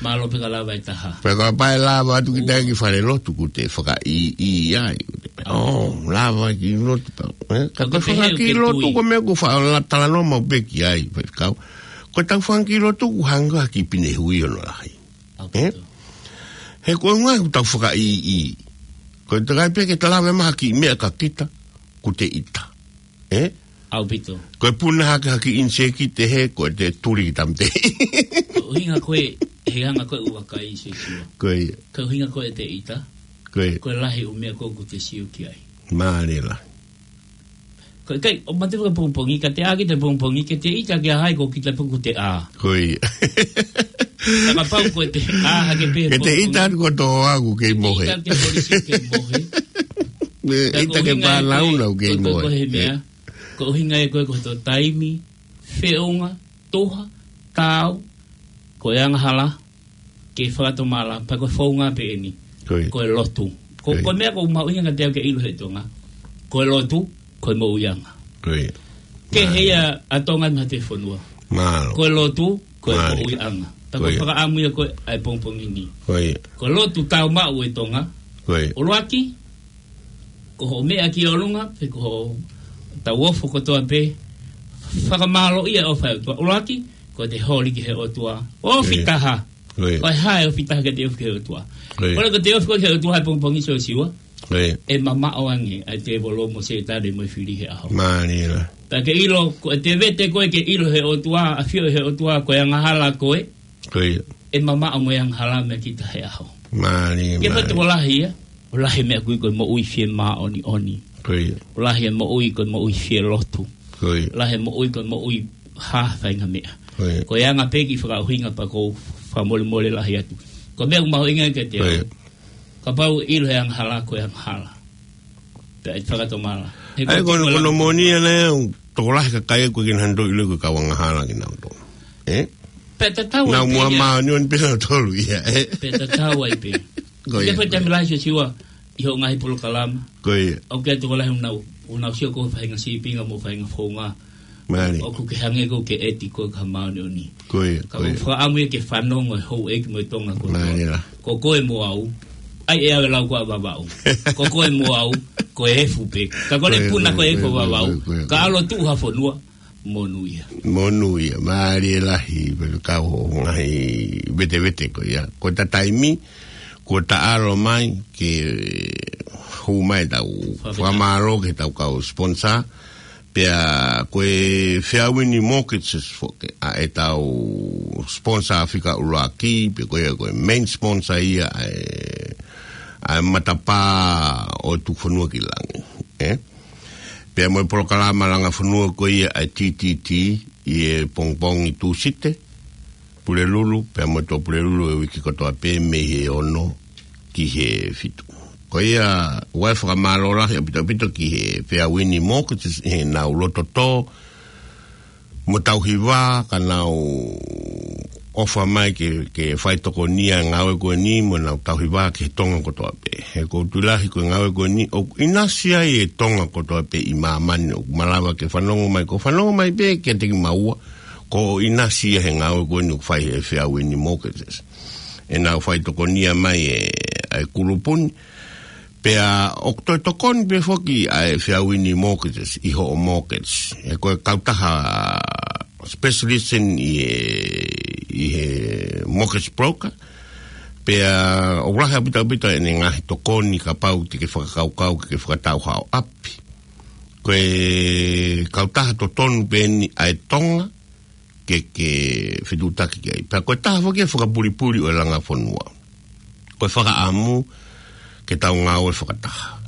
mālō pē ka lava e taha. Pea kapau ʻe lava atu kita ki fale lotu kuo te fakaʻīʻī ai. ʻAupito. ʻŌ, lava ki lotu pē. Ē? Ka ko e fakakiʻi lotu ko e meʻa ʻoku ou faʻa talanoa maʻu pē ki ai, faifekau. Ko ʻetau fakakiʻi lotu ʻoku hangē ha kiʻi pine hui ʻoku lahi. ʻAupito. Ē? He ko e ngaahi ʻoku tau fakaʻīʻī. Ko e takai pē ke ta lave mai ha kiʻi meʻa kia kita, kuo te ʻita. Ē? ʻAupito. Ko e puna hake ha kiʻi ʻinisēkiti he ko e te tuli ki tamte. Ko e ʻuhinga ko ē, he anga ko ē ʻoku vakai Siosiua. Ko ia. Ko e ʻuhinga ko ē te ʻita. Ko ia. Ko e lahi ʻo e meʻa ko ē ʻoku te sio ki ai. Mālie lahi. Ko e kai, ʻo mate fakapongipongi, ka te ʻā kita he pongipongi, ke te ʻita ki ha hai ko kita pē ʻoku te ʻā. Ko ia. Ka kapau ko e te ʻā hake pē he pongipongi. Ke te ʻita atu ko tō aku kei mohe. Ke ʻita atu ki he polisi kei mohe. Ke ʻita ki he pānauna ʻoku kei mohe. Ko e, ko e, ko e, ko e meʻa. Ko e ʻuhinga ia ko ē ko e tō taimi, feʻunga, tuha, taau, ko e angahala, ke fakatomala, pea ko e founga pē eni. Ko ia. Ko e lotu. Ko, ko ia. Ko e meʻa ʻoku mahuʻinga kiate au ke ʻilo he tonga. Ko e lotu, ko e moʻuiʻanga. Ko ia. Ke mālie. He ia ʻa Tonga ni ha te fonua. Mālō. Ko e lotu, ko e mālie. Moʻuiʻanga. Pea ko ia. Ko e fakaʻamu ia ko ē ʻa e pongipongi ni. Ko ia. Ko e lotu tāumaʻu e tonga. Ko ia. ʻUluaki, ko hoʻo meʻa ki ʻolunga, pe ko hoʻo tau ofo kotoa pē, fakamālō ia ʻo fai ʻOtua. ʻUluaki, ko e te holi ki he ʻOtua. Ofi taha. Ko ia. Ko e hā e ofi taha ke te ofi ki he ʻOtua. Ko ia. Ko e ko e te ofi ko ē ki he ʻOtua he pongipongi Siosiua. Ko ia. ʻE mamaʻo ange ʻa e tēvolo mo Sētane mo e fili he ʻaho. Mālie lahi. Pea ke ʻilo, ko e te vete ko ē ke ʻilo he ʻOtua, ʻafio he ʻOtua, ko e angahala ko ē. Ko ia. ʻE mamaʻo mo e angahala meia kita he ʻaho. Mālie, mālie. Ke fai tokolahi ia, ʻo lahi e meʻa ʻoku ui ko e moʻui fiemāʻoniʻoni. Ko ia. ʻO lahi e moʻui ko e moʻui fielotu. Ko ia. Lahi e moʻui ko e moʻui hā faʻahinga meʻa. Ko ia. Ko e anga pē kiʻi fakaʻuhinga pea ʻoku ou fakamolemole lahi atu. Ko e meʻa ʻoku mahuʻinga kiate au. Ko ia. Kapau ʻe ʻilo he angahala ko e angahala. Pea ʻe fakatomala. He ʻa ia ko e, ko e moʻoni ʻana ia, tokolahi e kakai ko ē ʻoku ʻikai ke nau ʻilo ko e kau angahala kinautolu. Ē? Pea tatau ai pē ia. Nau muʻa māʻoniʻoni pē nautolu ia, ē? Pea tatau ai pē. Ko ia, ko ia. Pea ko e taimi lahi Siosiua, ʻi hoʻo ngaahi polokalama. Ko ia. ʻOku ʻikai tokolahi ʻoku nau, ʻoku nau sio ko e faʻahinga sīpinga mo e faʻahinga founga. Mālie. ʻOku ke hangē ʻoku ke ʻeti koe ki ha māʻoniʻoni. Ko ia, ko ia. Ka ʻoku ou fakaʻamu ia ke fanongo e houʻeiki mo e tonga kotoa. Mālie lahi. Ko koe mo au, ʻai ʻe au e lau ko ē ʻa Vavaʻu. Ko koe mo au, ko e efu pē. Ka ko e puna ko e efu ʻa Vavaʻu. Ko ia, ko ia, ko ia, ko ia. Ka ʻalu ʻo tuʻu ha fonua, monūʻia. Monūʻia, mālie lahi, pea kau hoʻo ngaahi vetevete ko ia. Ko ʻeta taimi, kuo ta ʻalu mai ke hū mai ʻetau fakamālō ki heʻetau kau sponsor. Pea ko e Feauini Mortgages foki ʻa ʻetau sponsor fika ʻuluaki, pea ko ia ko e main sponsor ia ʻa e, ʻa e matapā ʻo e Tukufonua ki Langi, ē? Pea mo e polokalama langa fonua ko ia ʻa e T T T ʻi he pongipongi Tūsite, Pulelulu, pea mo e Tuʻapulelulu e uike kotoa pē mei he ono ki he fitu. Ko ia, ʻoku ou fakamālō lahi ʻaupito ʻaupito ki he Feauini Mortgages ʻi heʻenau loto tō mo tauhi vā, ka nau ʻofa mai ke, ke fai tokoni ʻa e ngāue ko eni mo nau tauhi vā ki he tonga kotoa pē. He ʻoku ou tui lahi ko e ngāue ko eni, ʻoku ʻinasi ai e tonga kotoa pē ʻi māmani, ʻoku malava ke fanongo mai, ko e fanongo mai pē kiate kimaua, ko e ʻinasi ia he ngāue ko eni ʻoku fai he Fair Wind Mortgages. ʻE nau fai tokonia mai e, ʻa e kulupu ni. Pea ʻoku toe tokoni pē foki ʻa e Fair Wind Mortgages ʻi hoʻo mortgage. He ko e kautaha specialist ʻi he, ʻi he mortgage broker. Pea ʻoku lahi ʻaupito ʻaupito ʻene ngaahi tokoni kapau te ke fakakaukau ke ke fakatau haʻo ʻapi. Ko e kautaha totonu pē eni ʻa e Tonga ke, ke fetuʻutaki ki ai. Pea ko e taha foki e fakapulipuli ʻo e langa fonua. Ko e fakaʻamu ke tau ngāue fakataha.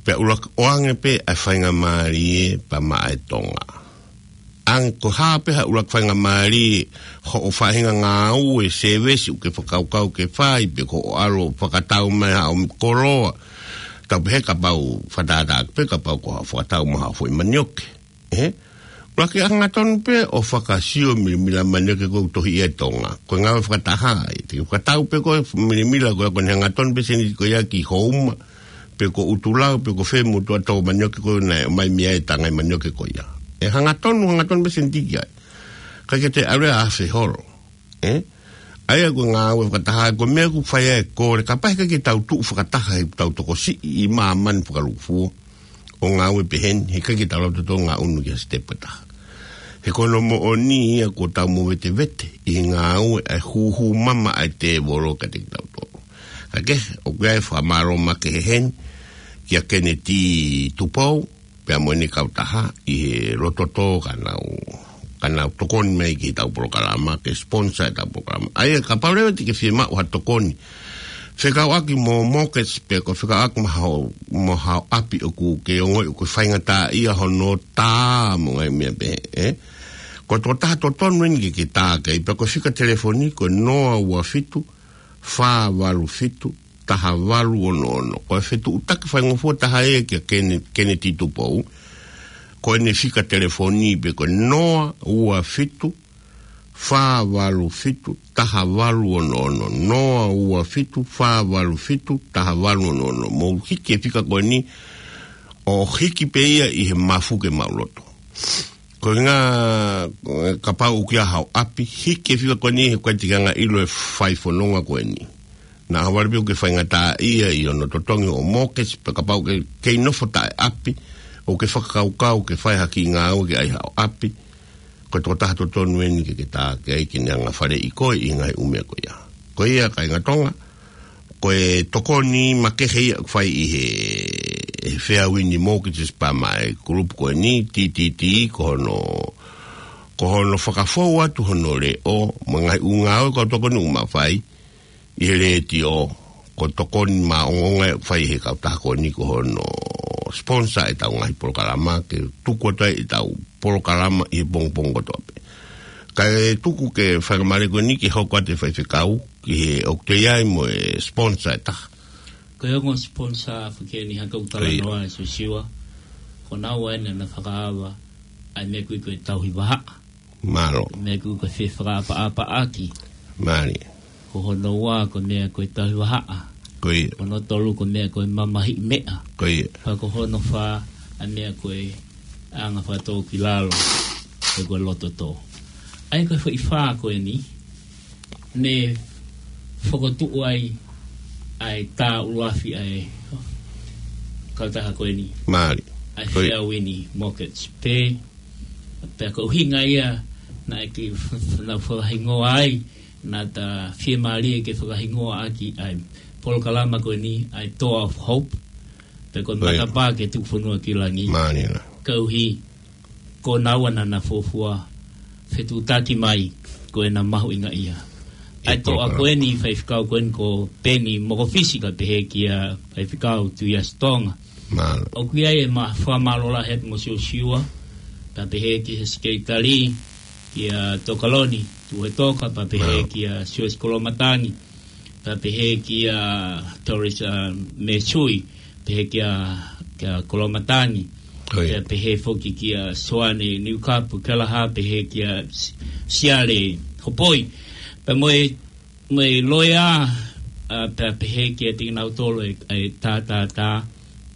Pea ʻuluaki ʻoange pē ʻa e faingamālie pea maʻa e Tonga. ʻAnge ko e hā pē ha ʻuluaki faingamālie hoʻo faʻahinga ngāue, service ʻoku ke fakakaukau ke fai, pe ko hoʻo ʻalu fakatau mai haʻo koloa. Tau pehē kapau fakatātā pē kapau ko haʻo fakatau mai haʻo foʻi manioke. ʻE? ʻUluaki hangatonu pē ʻo fakasio milimila manioke ko ē ʻoku tohi ʻi Tonga. Ko e ngāue fakataha ē. Te ke fakatau pē ko e milimila ko ē ko eni hangatonu pē seniti ko ia ki Houma. Pe ko ʻUtulau, pe ko fē motuʻa tau manioke ko ē naʻe ʻomai mei ai e tanga ʻo e manioke ko ia. ʻE hangatonu, hangatonu pē seniti ki ai. Ka ke te ʻalu ʻo afe holo. ʻE? ʻA ia ko e ngāue fakataha, ko e meʻa ʻoku fai ai e kole, kapau he ʻikai ke tau tuʻu fakataha he tau tokosiʻi ʻi māmani fakalūkufua. ʻO ngāue pehē ni, he ʻikai ke tau lava ʻo ngaʻunu ki ha step ʻe taha. He ko hono moʻoni ia kuo tau movetevete ʻi he ngāue ʻa e hūhū mama ʻa e tēvolo kiate kitautolu. Ka ke, ʻoku ʻi ai e fakamālō makehe heni, kia Keneti Tupou, pea mo ʻene kautaha ʻi he loto tō ka nau, ka nau tokoni mai ki heʻetau polokalama, ke sponsor ʻetau polokalama. ʻA ia kapau leva te ke fiemaʻu ha tokoni fekauʻaki mo mortgage pe ko e fekauʻaki mo haʻo, mo haʻo ʻapi ʻoku ke ongoʻi ʻoku faingataʻaʻia hono tā mo e ngaahi meʻa pehē, ē? Ko e tokotaha totonu eni ke ke tā ki ai, pea ko e fika telefoni ko e noa ua fitu, fā valu fitu, taha valu ono ono. Ko e fetuʻutaki faingofua taha ia kia Kene-, Keneti Tupou. Ko ʻene fika telefoni pē ko e noa ua fitu, fā valu fitu, taha valu ono ono. Noa ua fitu, fā valu fitu, taha valu ono ono. Mou hiki e fika ko eni ʻo hiki pē ia ʻi he mafu ke maʻuloto. Ko e ngā, kapau ʻoku ʻi ai haʻo ʻapi, hiki e fika ko eni he ʻoku ʻikai te ke hanga ʻo ʻilo e fai fononga ko eni. Naʻa ʻohovale pē ʻoku ke faingataʻaʻia ʻi hono totongi hoʻo mortgage, pe kapau ʻoku ke kei nofo taʻeʻapi, ʻoku ke fakakaukau ke fai ha kiʻi ngāue ke ʻai haʻo ʻapi, ko e tokotaha totonu eni ke ke tā ki ai ke ne hanga ʻo faleʻi koe ʻi he ngaahi ʻū meʻa ko ia. Ko ia kāinga Tonga, ko e tokoni makehe ia ʻoku fai ʻi he, he Fair Wind Mortgages pea maʻa e kulupu ko eni, T T T, ko hono, ko hono fakafou atu hono leʻo, mo e ngaahi ʻū ngāue ko ē ʻoku tokoni ʻoku ma fai, ʻi he letiō, ko e tokoni maʻongoʻonga ia ʻoku fai he kautaha ko eni ko hono sponsor ʻetau ngaahi polokalama, ke tuku atu ai ʻetau polokalama ʻi he pongipongi kotoa pē. Kae tuku ke fakamālō ko eni ke hoko atu e faifekau, ki he ʻoku toe ʻi ai mo e sponsor ʻe taha. Ko e ongo sponsor foki eni ha kau talanoa ʻe Siosiua. Ko naua eni naʻa na fakaava ʻa e meʻa ko ē ko e tauhi vahaʻa. Mālō. Meʻa ko ē ko e fefakaʻapaʻapaʻaki. Mālie. Ko hono ua ko e meʻa ko e tauhi vahaʻa. Ko ia. Ko hono tolu ko e meʻa ko e mamahiʻi meʻa. Ko ia. Pea ko hono fā ʻa e meʻa ko e anga fakatōkilalo, pe ko e loto tō. ʻA ia ko e foʻi fā ko eni, ne fokotuʻu ai ʻa e tā ʻuluafi ʻa e kautaha ko eni. Mālie. ʻA e Fair Wind Mortgage. Pea, pea ko e ʻuhinga ia naʻe ke f-, f-, na fakahingoa ai, naʻa ta fiemālie ke fakahingoa ʻaki ʻa e polokalama ko eni, ʻa e Door of Hope. Pea ko e matapā ke tuku fonua ki langi. Mālie. Koeʻuhi, ko naua naʻa na fuofua fetuʻutaki mai, ko ʻena mahuʻingaʻia. ʻA e toʻa ko eni faifekau ko eni ko Peni Mokofisi kae pehē kia faifekau Tuʻiasitonga. Mālō. ʻOku ʻi ai e ma-, fakamālō lahi atu mo Siosiua, kae pehē ki he sekelitali, kia Tokaloni Tuʻuetoka, pea pehē kia Siosiua Kolomatangi, pea pehē kia Doris, ʻa, Mesui, pehē kia, kia Kolomatangi. Pea pehē foki kia Soane Niukapu Kelaha, pehē kia S-, Siale Hopoi. Pea mo e, mo e loea, ʻa, pea pehē kiate kinautolu e, e tā, tā, tā,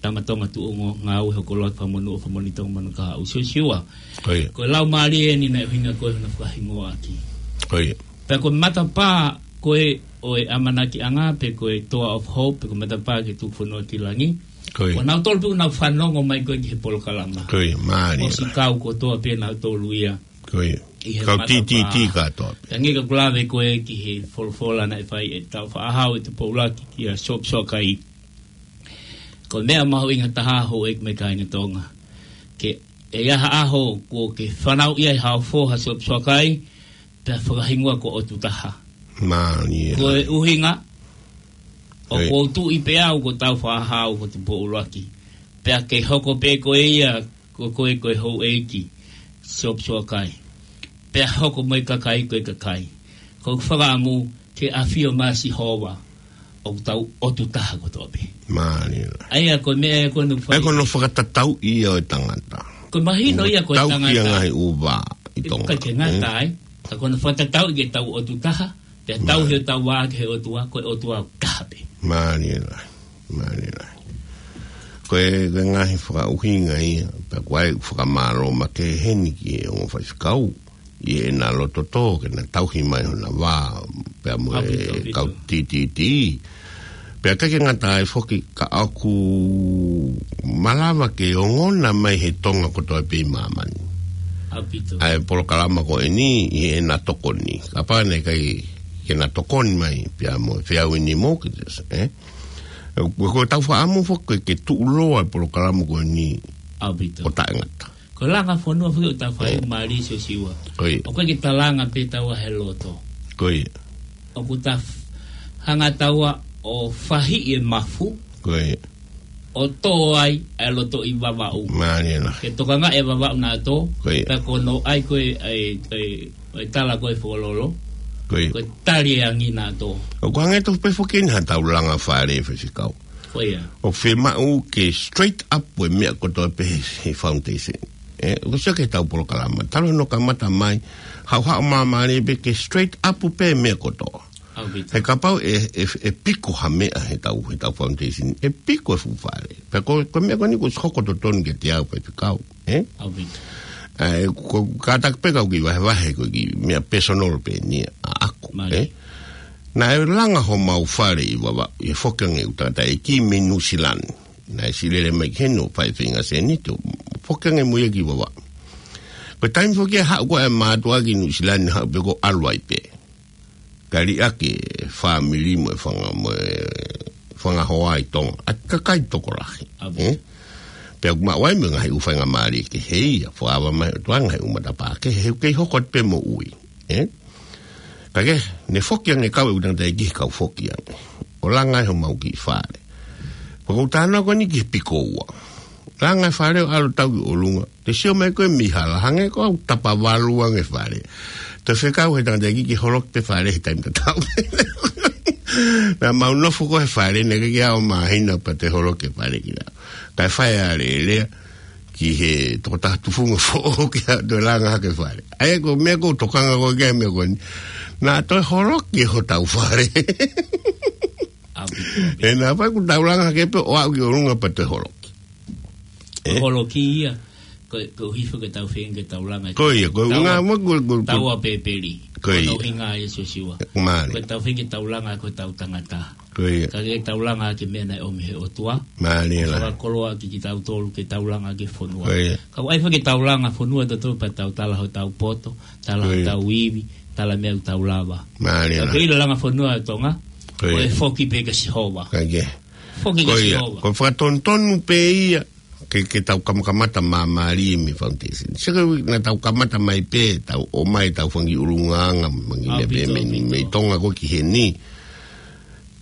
Tama Tonga Tuʻunga Ngāue Hoko Loa Fakamonū ʻo Fakamoʻoni Tonga Manukau Siosiua. Ko ia. Ko e lau mālie eni naʻe ʻuhinga ko e hona fakahingoa ʻaki. Ko ia. Pea ko e matapā ko ē ʻo e ʻamanakiʻanga pe ko e Door of Hope pe ko e matapā ke tuku fonua ki langi. Ko ia. Ko nautolu pē ʻoku nau fanongo mai ko ē ki he polokalama. Ko ia, mālie. ʻOsi kau kotoa pē nautolu ia. Ko ia. ʻI he Kau matapā. T T T kātoa pē. Ka nge ka kulave ko ē ki he folofola naʻe fai ʻe Taufaʻahau ʻe Tupoulaki kia Siosiua Kai. Ko e meʻa mahuʻinga taha houʻeiki mo e kāinga Tonga. Ke ʻi ai ha ʻaho kuo ke fanauʻi ai ha foha Siosiua Kai, pea fakahingoa ko ʻOtu Taha. Mālie. Ko e ʻuhinga, ʻoku ou tuʻi pē au ko Taufaʻahau ko Tupoulaki. Pea ke hoko pē ko ia, ko koe ko e houʻeiki, Siosiua Kai. Pea hoko mo e kakai ko e kakai. Ko e fakaʻamu ke ʻafio mai Sihova, ʻoku tau ʻOtu Taha kotoa pē. Mālie. ʻA ia ko e meʻa ia ko ʻene ʻA ia ko hono fakatatau ia ʻo e tangata. Ko e mahino ia ko e tangata. Tau ki he ngaahi ʻū vā ʻi Tonga. Ka ke ngata ai. Ka ko hono fakatatau ke tau ʻOtu Taha. Pea tau he tau vā ki he ʻOtua, ko e ʻOtua ʻoku taha pē. Mālie lahi. Mālie lahi. Ko e, ko e ngaahi fakaʻuhinga ia, pea ko e fakamālō makehe eni ki he ongo faifekau. ʻI heʻena loto tō ke na tauhi mai hona vā, pea mo e kau T T T. Pea ʻikai ke ngata ai foki ka ʻoku malava ke ongona mai he Tonga kotoa pē ʻi māmani. ʻA e polokalama ko eni ʻi heʻena tokoni. Kapau naʻe ʻikai ke na tokoni mai, pea mo e Fair Wind Mortgages, ē? Ko, ko ʻetau fakaʻamu foki ke tuʻuloa e polokalama ko eni ʻo taʻengata. Ko e langa fonua foki ʻoku tau fai mālie Siosiua. Ko ia. ʻOku ʻikai ke ta langa pē taua he loto. Ko ia. ʻOku ta f-, hanga taua ʻo fahiʻi e mafu. Ko ia. ʻO tō ai e loto ʻi Vavaʻu. Mālie lahi. Ke tokangaʻi e Vavaʻu naʻa tō. Ko ia. Pea ko hono ʻai ko e, e, e, e tala ko e Fokololo. Ko ia. Ko e tali e angi naʻa tō. ʻOku hangē tofu pē foki eni ha tau langa fale faifekau. Ko ia. ʻOku fiemaʻu ke straight up ʻo e meʻa kotoa pē he, he foundation. ʻE, ʻoku sio ki he tau polokalama. Talu hono kamata mai, haʻu haʻu māmālie pē ke straight up pē meʻa kotoa. ʻAupito. He kapau ʻe, ʻe, ʻe piko ha meʻa he tau, he tau foundation. ʻE piko e fuʻu fale. Pea ko, ko e meʻa ko eni kuo ʻosi hoko totonu kiate au faifekau. ʻE? ʻAupito. ʻE, ko, kātaki pē kau kiʻi vahevahe ko e kiʻi meʻa personal pē eni ʻaʻaku. Mālie. ʻE? Naʻe langa homau fale ʻi Vavaʻu, ʻi he foki ange ʻeku tangataʻeiki mei Nuʻusila ni. Naʻe ʻosi lele mai ki heni ʻo fai e feinga sēniti ʻo foki ange mo ia ki Vavaʻu. Ko e taimi foki ʻe haʻu ko ē e mātuʻa ki Nuʻusila ni haʻu pē ko e ʻalu ai pē. Kae liʻaki e fāmili mo e fanga, mo e fanga hoa ʻi Tonga. ʻA e kakai tokolahi. ʻAupito. ʻE? Pea ʻoku maʻu ai mo e ngaahi ʻū faingamālie kehe ia, fakaava mai ʻe he ʻOtua e ngaahi ʻū matapā kehe, he ʻoku kei hoko atu pē moʻui. ʻE? Ka ke, ne foki ange kau ʻeku tangataʻeiki he kau foki ange. ʻO langa ai homau kiʻi fale. Pea ko ʻeku talanoa ko eni ki he piko ua. Langa e fale ʻo ʻalu ʻo tau ki ʻolunga. Te sio mai ko ē mei hala hangē ko ʻeku tapa valu ange e fale. Toe fekau he tangataʻeiki ke holoki pē fale he taimi tatau. Naʻa mau nofo ko ē he fale, naʻe ʻikai ke aʻu māhina pea toe holoki e fale kiate au. Kae fai e alēlea ki he tokotaha tufunga foʻou ke toe langa hake e fale. ʻA ia ko e meʻa ʻoku ou tokanga ko ē ki he meʻa ko eni. Naʻa toe holoki hotau fale. ʻAupito, ʻaupito. He naʻa pau kuo tau langa hake pē ʻo aʻu ki ʻolunga pea toe holoki. ʻE? Holoki ia, ko, koeʻuhi foki ke tau feinga ke tau langa. Ko ia, ko e ʻuhinga mo ko, ko, ko, taua pēpeli. Ko ia. Ko hono ʻuhinga ia Siosiua. Mālie. Ko ʻetau feinga ke tau langa ko ʻetau tangata. Ko ia. Ka ke tau langa ki he meʻa naʻe ʻomi ʻe he ʻOtua. Mālie lahi. Fakakoloa ki kitautolu ke tau langa ki he fonua. Ko ia. Ka ʻoku ʻai foki ke tau langa fonua tautolu pea tau tala hotau poto, tala hotau ivi, tala meʻa ʻoku tau lava. Mālie lahi. Ka ke ʻilo langa fonua ʻa Tonga, ko ia, ko e foki pē kia Sihova. Ko ia. Foki kia Sihova. Ko ia. Ko e fakatonutonu pē ia, ke, ke tau kamakamata māmālie mei he foundation. Sio ko ē naʻa tau kamata mai pē, tau ʻomai ʻetau fanga kiʻi ʻulungaanga, fanga kiʻi meʻa pē mei, mei Tonga ko ē ki heni.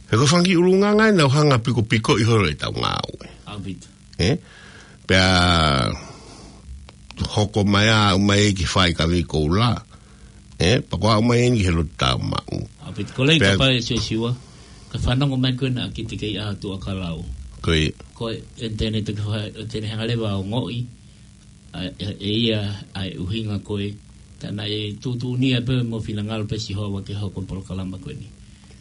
He ko e fanga kiʻi ʻulungaanga ʻe nau hanga ʻo pikopikoʻi holo ʻetau ngāue. ʻAupito. ʻE? Pea hoko mai ʻa, aʻu mai ki he fai kavei koula. ʻE, pea ko e aʻu mai eni ki he lotu tāumaʻu. ʻAupito, ko e lea pea kapau ʻe Siosiua, ka fanongo mai ko ena ki he kei ʻa Tuʻakalau. Ko ia. Ko e ʻinitaneti ke fai, ʻo te ne hanga leva ʻo ongoʻi, ʻa, ʻe, ʻe ia, ʻa e ʻuhinga ko ē, tā naʻe tuʻutuʻuni ia pē mo finangalo pē Sihova ke hoko e polokalama ko eni.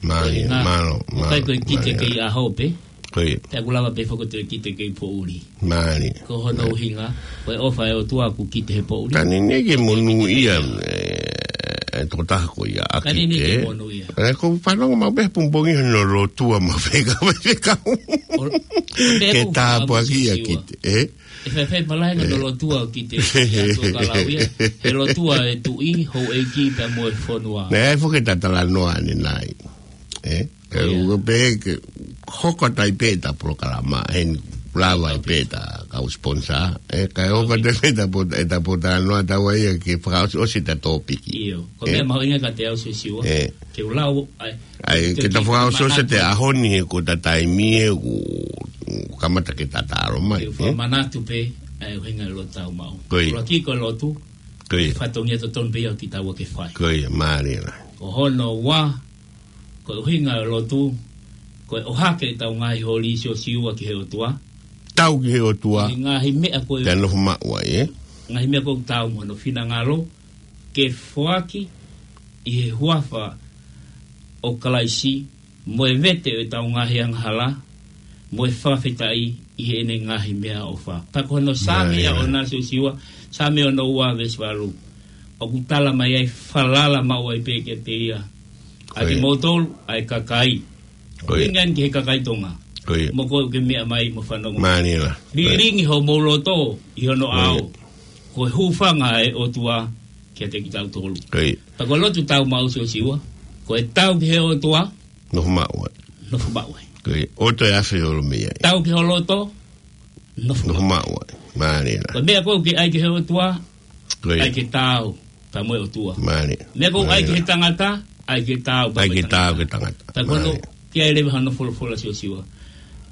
Mālie, ko e ngaahi, mālō, ʻoku ʻikai ko e mālō, ki he mālō. Kei ʻaho pē. Ko ia. Pea ʻoku lava pē foki ʻo toe kite ki he poʻuli. Mālie. Ko hono ʻuhinga, ko e ʻofa ʻa e ʻOtua ʻoku kite he poʻuli. Ka neʻineʻi ke monūʻia, ē, ʻa e tokotaha ko ia ʻa kite. Ka neʻineʻi ke monūʻia. Ē, ʻoku ou fanongo maʻu pē he pongipongi hono lotua maʻu pē ka, pē ka. ʻO, pea ke ʻoku tāpuakiʻi ʻa Siosiua. Kite, ē? ʻE faifai palaenga ʻe. Hono lotua ʻo kite, ʻa e ʻOtua ka lau ia. He lotua ʻa e tuʻi, houʻeiki pea mo e fonua. Naʻe ʻi ai foki ʻeta talanoa ʻanenai. Ē? Ko ia. ʻE, ʻoku pehē ke hoko atu ai pē ʻeta polokalama, heni lava ai pē ʻeta kau sponsor, ē, kae hoko atu ai pē ʻeta po-, ʻeta pōtalanoa ʻataua ia ke fakaʻosiʻosi ʻeta tōpiki. ʻIo, ko e meʻa mahuʻinga kiate au Siosiua, ē. Ke u lau, ʻai, ʻai, ke ke ta ke fakaʻosiʻosi ʻete manatu. ʻAho ni he ko ʻeta taimi ē ʻoku kamata ke ta talo mai, ke u ē. Fakamanatu pē, ʻa e ʻuhinga ʻo e lotu tāumaʻu. Ko ia. ʻUluaki ko e lotu, ko ia. Fatongia totonu pē ia ʻo kitaua ke fai. Ko ia, mālie lahi. Ko hono ua, ko e ʻuhinga ʻo e lotu, ko e ʻohake ʻetau ngaahi holi Siosiua ki he ʻOtua. Tau ki he ʻOtua. ʻI he ngaahi meʻa ko ē. Pea nofo maʻu ai, ē? Ngaahi meʻa ko ē ʻoku taau mo hono finangalo, ke foaki ʻi he huafa ʻo Kalaisi, mo e vete ʻo ʻetau ngaahi angahala, mo e fakafetaʻi ʻi heʻene ngaahi meʻaʻofa. Pea ko hono Saame ia ʻo ʻAna Siosiua, Saame ono ua veesi valu. ʻOku tala mai ai falala maʻu ai pē kiate ia. ʻA kimoutolu, ʻa e kakai. Ko ia. ʻUhinga eni ki he kakai Tonga. Ko ia. Mo koe ʻoku ke meʻa mai mo fanongo. Mālie lahi. Lilingi homou loto ʻi hono ʻao. Ko e hūfanga ʻa e ʻOtua kiate kitautolu. Ko ia. Pea ko e lotu tāumaʻu Siosiua. Ko e tau ki he ʻOtua. Nofo maʻu ai. Nofo maʻu ai. Ko ia. ʻOtua ʻe afe ʻo ʻalu mei ai. Tau ki ho loto. Nofo maʻu ai. Mālie lahi. Ko e meʻa ko ē ʻoku ke ʻai ki he ʻOtua. Ko ia. ʻAi ke tau pea mo e ʻOtua. Mālie. Meʻa ko ē ʻoku ʻai ki he tangata, ʻai ke tau pea mo e tangata. ʻAi ke tau ki he tangata. Pea ko hono, mālie. Ke ʻai leva hono folofola Siosiua.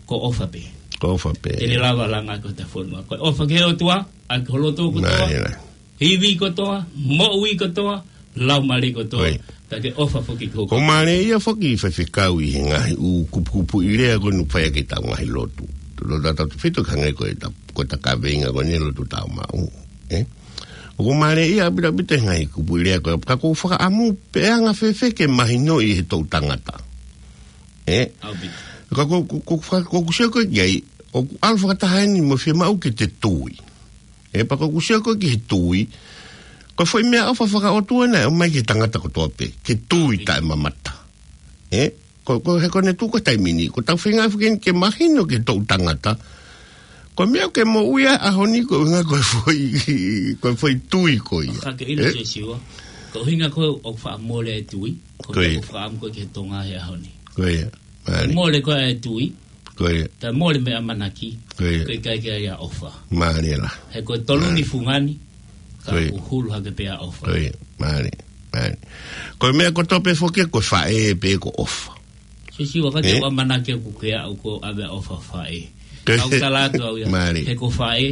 Ko e ʻofa pē. Ko e ʻofa pē. Te ne lava langa ko ʻeta fonua. Ko e ʻofa ki he ʻOtua, ʻaki ho loto kotoa. Mālie lahi. Ivi kotoa, moʻui kotoa, laumālie kotoa. Ko ia. Pea ke ʻofa foki ki ho. ʻOku mālie ia foki faifekau ʻi he ngaahi ʻū kupukupuʻi lea ko eni ʻoku fai ʻaki ʻetau ngaahi lotu. Lotu ʻatautolu ʻe fitu hangē ko ʻeta, ko ʻeta kaveinga ko eni lotu tāumaʻu. Ē? ʻOku mālie ia ʻaupito ʻaupito he ngaahi kupuʻi lea ko ē, ka ʻoku ou fakaʻamu pe ʻe anga fēfē ke mahinoʻi ʻe he toʻu tangata. Ē? ʻAupito. Ka ko, ko, ko, ko, ko ʻeku sio ko ē ki ai, ʻoku ʻalu fakataha eni mo e fiemaʻu ke te tui. Ē, pea ko ʻeku sio ko ē ki he tui, ko e foʻi meʻaʻofa fakaʻotua naʻe ʻomai ki he tangata kotoa pē, ke tui taʻemamata. Ē? Ko, ko, he ko ʻene tuʻu ko ē he taimi ni, ko ʻetau feinga foki eni ke mahino ki he toʻu tangata, ko e meʻa ʻoku ke moʻui ai he ʻaho ni ko e ʻuhinga ko e foʻi, ko e foʻi tui ko ia. Ka ke ʻilo Siosiua, ko e ʻuhinga ko ē ʻoku faʻa mole ai e tui, ko e meʻa ʻoku faʻa ʻamu ko ē ki he Tonga he ʻaho ni. Ko ia. Mālie. Mole ko ē e tui, ko ia. Pea mole mo e ʻamanaki, ko ia. Ko e ʻikai ke ʻi ai ha ʻofa. Mālie lahi. He ko e tolu ni fungani, ka ʻoku hulu hake pē ʻa e ʻofa. Ko ia, mālie, mālie. Ko e meʻa kotoa pē foki ko e faʻē pē ko e ʻofa. Siosiua ka ke ʻamanaki ʻoku ke aʻu ko e ʻave ʻa e ʻofa faʻē. Ko ia. ʻOku ou tala atu au ia. Mālie. He ko e faʻē,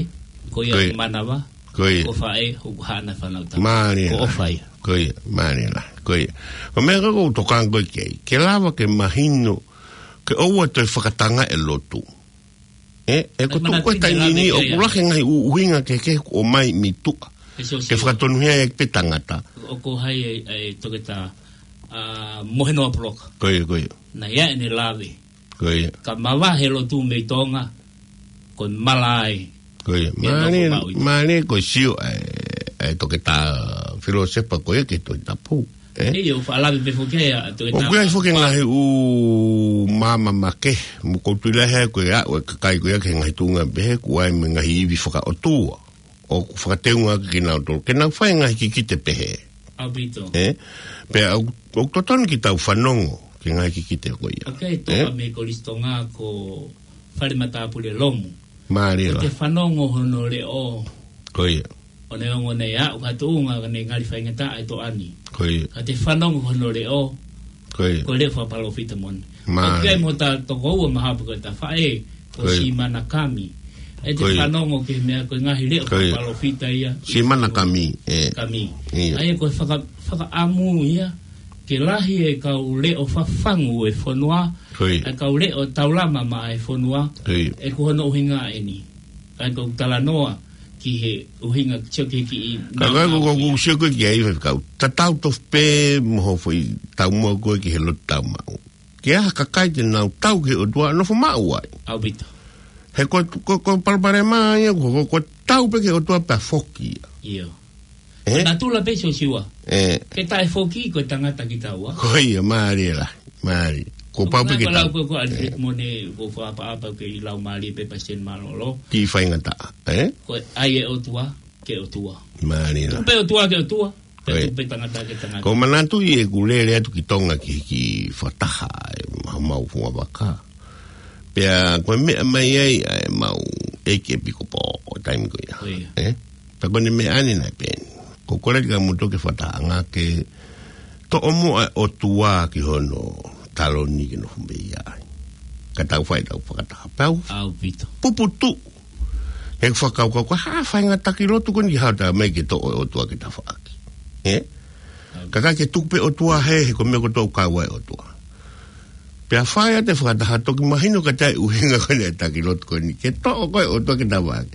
ko ia ko e manava. Ko ia. Ko e faʻē, ʻoku haʻana fānau tama. Mālie lahi. Ko e ʻofa ia. Ko ia, mālie lahi. Ko ia. Ko e meʻa ko ē ʻoku ou tokanga ko ē ki ai. Ke lava ke mahino, ke ʻoua toe fakatanga e lotu. Ē, ʻe ko e tuʻu ko ē he taimi ni, ʻoku lahi e ngaahi ʻuhinga kehekehe ʻoku ʻomai mei tuʻa. Ke fakatonuhia ai pē tangata. ʻOku ʻi ai e, e toketā, ʻa, Mohenoa Puloka. Ko ia, ko ia. Naʻe ʻi ai ʻene lave. Ko ia. Ka mavahe e lotu mei Tonga, ko e mala ai. Ko ia. Mālie, mālie ko e sio ʻa e, ʻa e toketā filōsefa ko ia ki he Tohi Tapu. Ē? ʻIo, ʻoku faʻa lave pē foki ʻa e toketā. ʻOku ʻi ai foki e ngaahi ʻū maama makehe, mo ʻoku ou tui lahi ai ko e aʻu e kakai ko ia ki he ngaahi tuʻunga pehē, ʻoku ʻi ai mo e ngaahi ivi fakaʻotua. ʻOku fakateunga ʻaki kinautolu ke nau fai e ngaahi kikite pehē. ʻAupito. Ē? Pea ʻoku, ʻoku totonu ke tau fanongo ki he ngaahi kikite ko ia. ʻOku ʻi ai e toka mei he Kolisi Tonga ko Fale Matāpule Lomu. Mālie lahi. Ko e fanongo hono leʻo. Ko ia. ʻO ne ongo ne aʻu ki ha tuʻunga ʻoku ne ngali faingataʻa e toʻa ni. Ko ia. Ka te fanongo hono leʻo. Ko ia. Ko e leʻo fakapalōfita moʻoni. Mālie. ʻOku ʻi ai mo hota tokoua mahalo pē ko ʻeta faʻē, ko Sīmana Kami. ʻE te fanongo ki he meʻa ko e ngaahi leʻo fakapalōfita ia. Sīmana Kami, ē. Kami. ʻIo. ʻA ia ko e faka-, fakaʻamu ia, ke lahi e kau leʻo fafangu e fonua, ko ia. E kau leʻo taulama maʻa e fonua, ko ia. ʻE ko hono ʻuhinga eni. Ka ko e talanoa ki he ʻuhinga sio ki he kiʻi. Ka ko e ko, ko, ko sio ko ē ki ai, faifekau. Tatau tofu pē mo hoʻo foʻi taumuʻa ko ē ki he lotu tāumaʻu. Ke ʻi ai ha kakai te nau tau ki he ʻOtua ʻo nofo maʻu ai. ʻAupito. He ko, ko, ko palopalema ia, ko, ko, ko tau pē ki he ʻOtua pea foki ia. ʻIo. Ē? Natula pē Siosiua. Ē. Ke taʻefoki ko e tangata kitaua. Ko ia, mālie lahi, mālie. Ko pau pē ke lau tau. Ko, ko Alfred Ē. Mone, ko fakaʻapaʻapa ke ʻi lau mālie pē Palesiteni Mālōlō. Ki faingataʻa, ē? Ko e ʻai e ʻOtua, ke ʻOtua. Mālie lahi. Tuku pē ʻOtua ke ʻOtua. Ko e. Tuku pē tangata ke tangata. Ko manatu ʻi heʻeku lele atu ki Tonga ki, ki fakataha, ʻe, mau, mau funga vaka. Pea ko e meʻa mai ai, ʻa e mau ʻeiki ʻepikopō ʻo e taimi ko ia. Ko ia. Ē? Pea ko ʻene meʻa ʻeni naʻe peheni. Ko kole atu kia moutolu ke fakatahaʻanga ke toʻo muʻa e ʻOtua ki hono taloni ke nofo mei ai. Ka tau fai ʻetau fakataha. Pea u ʻAupito. puputuʻu. He fakakaukau ko e hā e faʻahinga taki lotu ko eni ke haʻu atu mai ke toʻo e ʻOtua ke tafaʻaki. Ē? ʻAupito. Kae ke tuku pē ʻOtua hē, he ko e meʻa kotoa ʻoku kau ai e ʻOtua. Pea fai atu e fakataha toki mahino ka taʻe ʻuhinga ko eni e taki lotu ko eni. Ke toʻo ko ē ʻOtua ke tafaʻaki.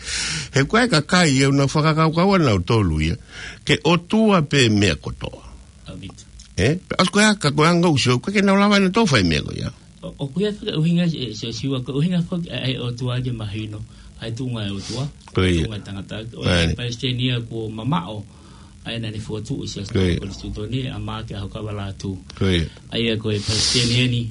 He ko e kakai ia ʻoku nau fakakaukau ʻanautolu ia. Ke ʻOtua pē meʻa kotoa. ʻAupito. Ē? Pea ʻosi ko ia ka ko e anga ʻoku sio, ʻoku ʻikai ke nau lava ʻe nautolu fai meʻa ko ia. ʻO, ʻoku ʻi ai foki e ʻuhinga, ē, Siosiua, ko e ʻuhinga foki ʻa e ʻOtua ke mahino, ʻa e tuʻunga ʻo e ʻOtua, Ko ia. tuʻunga ʻo e tangata, ʻo e Right. Palesiteni ia kuo mamaʻo, ʻa ia naʻa ne fokotuʻu Siaosi Ko ia. Konisitūtone, ʻa Maake ʻAhokavalātū. Ko ia. ʻA ia ko e Palesiteni eni,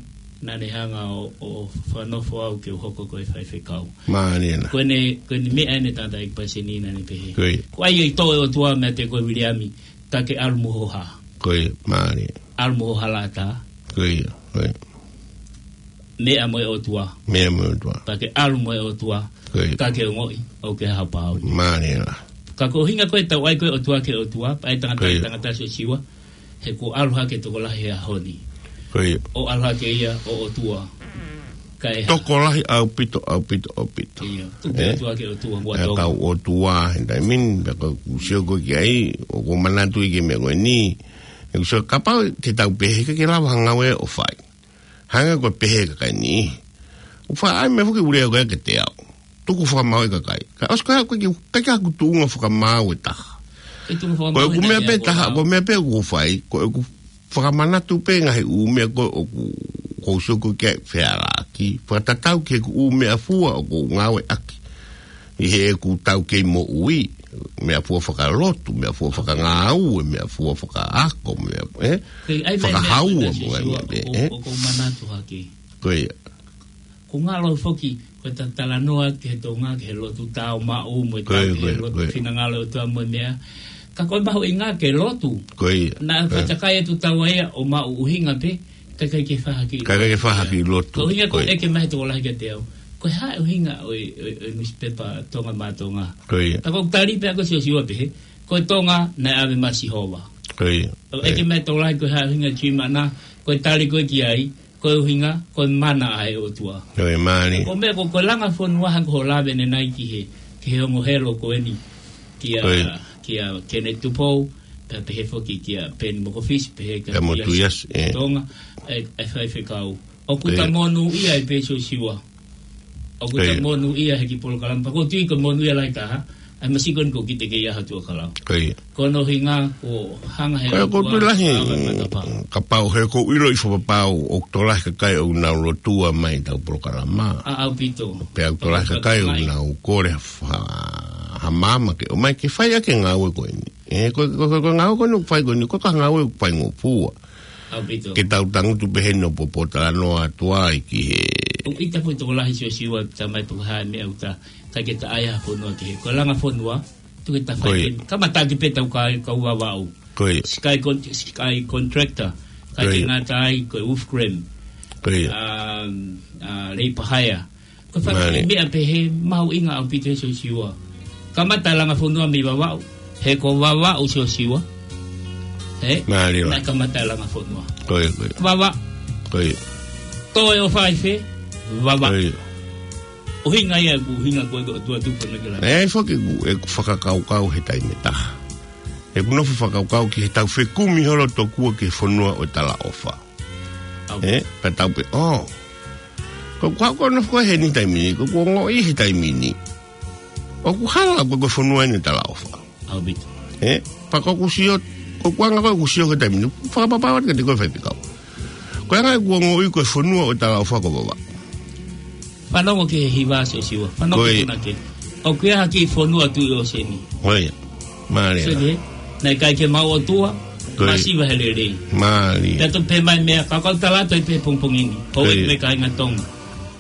naʻa ne hanga ʻo, ʻo fakanofo au ke u hoko ko e faifekau. Mālie lahi. Ko ʻene, ko ʻene meʻa ʻene tangataʻeiki Palesiteni naʻa ne pehē. Ko ia. Ko e ʻai ʻe he ʻOtua meiate koe Viliami, ka ke ʻalu mo ho hā. Ko ia, mālie. ʻAlu mo ho halaʻatā. Ko ia, ko ia. Meʻa mo e ʻOtua. Meʻa mo e ʻOtua. Ka ke ʻalu mo e ʻOtua. Ko ia. Ka ke ongoʻi, ʻoku ke haʻu pau. Mālie lahi. Ka ko e ʻuhinga ko ē ʻetau ʻai ko ē ʻOtua ke ʻOtua, pea ʻai tangata Ko ia. tangata Siosiua, he kuo ʻalu hake tokolahi he ʻaho ni. Ko ia. ʻO ʻalu hake ia ʻo ʻOtua. Kae hā. Tokolahi ʻaupito, ʻaupito, ʻaupito. Ia, tuku pē Ē? ʻOtua ke ʻOtua, muʻa Pea tau. tau ʻOtua, he taimi ni, pea ko ʻeku sio ko ē ki ai, ʻoku ou manatu ʻi he meʻa ko eni. ʻOku ou sio kapau te tau pehē ke ke lava ha ngāue ʻo fai. Hangē ko e pehē ʻa e kakai ni. ʻOku faʻa ʻai meʻa foki ʻoku lea ko ē kiate au. Tuku fakamaau e kakai. Ka ʻosi ko ia ʻoku ʻikai ke, ʻikai ke ʻi ai haku tuʻunga fakamaau ʻe taha. Ke tuʻunga fakamaau Ko ʻeku he meʻa taimi pē ʻe taha, taha. ko e meʻa pē ʻoku ou fai, ko ʻeku fakamanatu pē ngaahi ʻū meʻa ko ē ʻoku, ʻoku ou sio ko ē ki ai fehālaaki. Fakatatau ki heʻeku ʻū meʻafua ʻoku ou ngāueʻaki. ʻI heʻeku taukei moʻui, meʻafua fakalotu, meʻafua fakangāue, meʻafua fakaako, meʻa, ē? Ko e ʻai meʻa, Fakahaua meʻa, mo e meʻa, meʻa, ʻoku, ē? ʻoku ou manatu hake. Ko ia. Ko e ngalo foki, ko e ta talanoa ki he Tonga, ki he lotu tāumaʻu, mo e Ko ia, tau ki ko he ia, lotu ko ia. finangalo ʻo e ʻOtua mo e meʻa. Ka ko e mahuʻinga ke lotu. Ko ia. Naʻa Ko ia. fakaʻikaiʻi atu taua ia ʻo maʻu ʻuhinga pē, kae ʻikai ke fāhaki Kae ʻikai ke lotu. fāhaki lotu. Ko e ʻuhinga ko Ko ia. ʻeke mai he tokolahi kiate au. Ko e hā e ʻuhinga ʻo e, ʻo e, ʻo e nusipepa Tonga Maʻa Tonga. Ko ia. Ka ko e tali pē ʻa ko Siosiua pehē, ko e Tonga naʻe ʻave mai Sihova. Ko ia. ʻO Ko ia. ʻeke mai he tokolahi ko e hā e ʻuhinga Tuʻi Maʻana, ko e tali ko ē ki ai, ko e ʻuhinga, ko e mana ʻa e ʻOtua. Ko e mālie. Ko e meʻa ko, ko e langa fonua hangē ko hoʻo lave ʻanenai ki he, ki he ongo helo ko eni. Kia, Ko ia. kia Kenneth Tupou, pea pehē foki kia Peni Mokofisi, pehē kia Kia Motuiasi, Motuiasi, ē. Tonga, ʻa e, ʻa e faifekau. ʻOku Ko ia. ta monūʻia ai pē Siosiua. ʻOku Ko ta ia. monūʻia he kiʻi polokalama. Pea ʻoku ou tui ko e monūʻia lahi taha, ʻa e masiʻi ko eni ʻoku kite ke ʻi ai ha tuʻa kalau. Ko ia. Ko hono ʻuhinga, ʻoku hanga he Ko ia, ʻoku ou ʻOtua tui lahi, ʻo ʻave matapā. kapau he ʻoku ou ʻilo ʻi fakapapau, ʻoku tokolahi kakai ʻoku nau lotua mai ʻetau polokalama. ʻA, ʻaupito. Pea ʻoku tokolahi Pea kakai ʻoku mai. nau kole ha fa-, ha maama ke ʻomai ke fai ʻaki e ngāue ko eni. Ē, ko, ko, ko, ko e ngāue ko eni ʻoku fai ko eni, ko e ka ngāue ʻoku faingofua. ʻAupito. Ke tau tangutu pē heni ʻo pōpōtalanoa atu ai ki he ʻOku ʻita foki tokolahi Siosiua, tamai pē ko e hā e meʻa ʻoku ta, ʻikai ke ta ʻai ha fonua ki he. Ko e langa fonua, tuku ke ta fai Ko ia. ke, kamata ʻaki pē ʻetau ka, kau Vavaʻu. Ko ia. Sky con-, Sky Contractor, ʻikai Ko ke ia. ngata ai, ko e Wolfgram. Ko ia. Um, uh, Labour Hire. Ko e fanga Mālie. meʻa pehē, mahuʻinga ʻaupito he Siosiua. Kamata e langa fonua mei Vavaʻu. He ko Vavaʻu Siosiua. He? Mālie. Naʻe kamata e langa fonua. Ko ia, ko ia. Vavaʻu. Ko ia. Toe ʻo fai fē, Vavaʻu. Ko ia. ʻUhinga ia, ʻoku ʻuhinga ko ē ʻoku tuʻu atu ko ē ke langa. ʻE, foki ʻeku, ʻeku fakakaukau he taimi ʻe taha. ʻEku nofo fakakaukau ki heʻetau fekumi holo tokua ki he fonua ʻo e talaʻofa. ʻAu. Ē, pea tau pehē, ʻō. Ko, ko, ko e nofo ko ē he ni taimi ni, ko, ko e ongoʻi he taimi ni. ʻOku hala ko e, ko e fonua eni ʻo e talaʻofa. ʻAupito. Ē, pea ko ʻeku sio, ko ʻeku anga ko ē ʻeku sio he taimi ni, fakapapau atu kiate koe faifekau. Ko Pea ngaahi kuo ngoui ko e fonua ʻo e talaʻofa ko Vavaʻu. Fanongo ki he hiva Siosiua. Fanongo Ko ia. ki he punake. ʻOku ʻi ai ha kiʻi fonua tuʻi ʻōseni. Ko ia. Mālie Sio la. ki he, naʻe ʻikai ke maʻu ʻOtua, Ko ia. masiva he lelei. Mālie. Pea toki pehē mai meʻa, ka kau tala atu ai pē pongipongi ni. Ko Ko ia. e meʻa kāinga Tonga.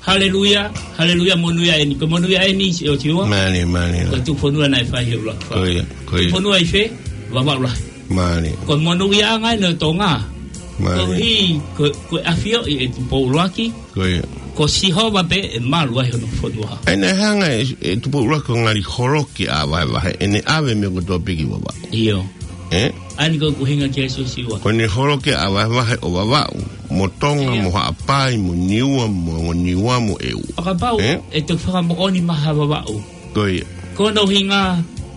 Haleluia, haleluia, monūʻia eni. Ko e monūʻia eni Siosiua. Mālie, mālie. Ko e tuʻu fonua naʻe fai he ʻuluaki fā. Ko ia, ko ia. Tuʻu fonua ʻi fē, Vavaʻu lahi. Mālie. Ko e monūʻiaʻanga eni ʻo Tonga. Mālie. Ko e hā, ko, ko e ʻafioʻi ʻe Tupou ʻUluaki. Ko ia. Ko Sihova pē ʻe malu ai hono fonua. ʻA ia naʻe hanga ʻe, ʻe Tupou ʻUluaki ʻo ngali holoki ʻa Vahevahe, ʻene ʻave meʻa kotoa pē ki Vavaʻu. ʻIo. Ē? ʻA ia ko e ʻuhinga ki ai Siosiua. Ko ʻene holoki ʻa Vahevahe ʻo Vavaʻu, mo Tonga, ʻIo. mo Haʻapai, mo Niua, mo Niua, mo ʻEua. ʻO kapau, Ē? ʻe toki fakamoʻoni mai ha Vavaʻu. Ko ia. Ko hono ʻuhinga,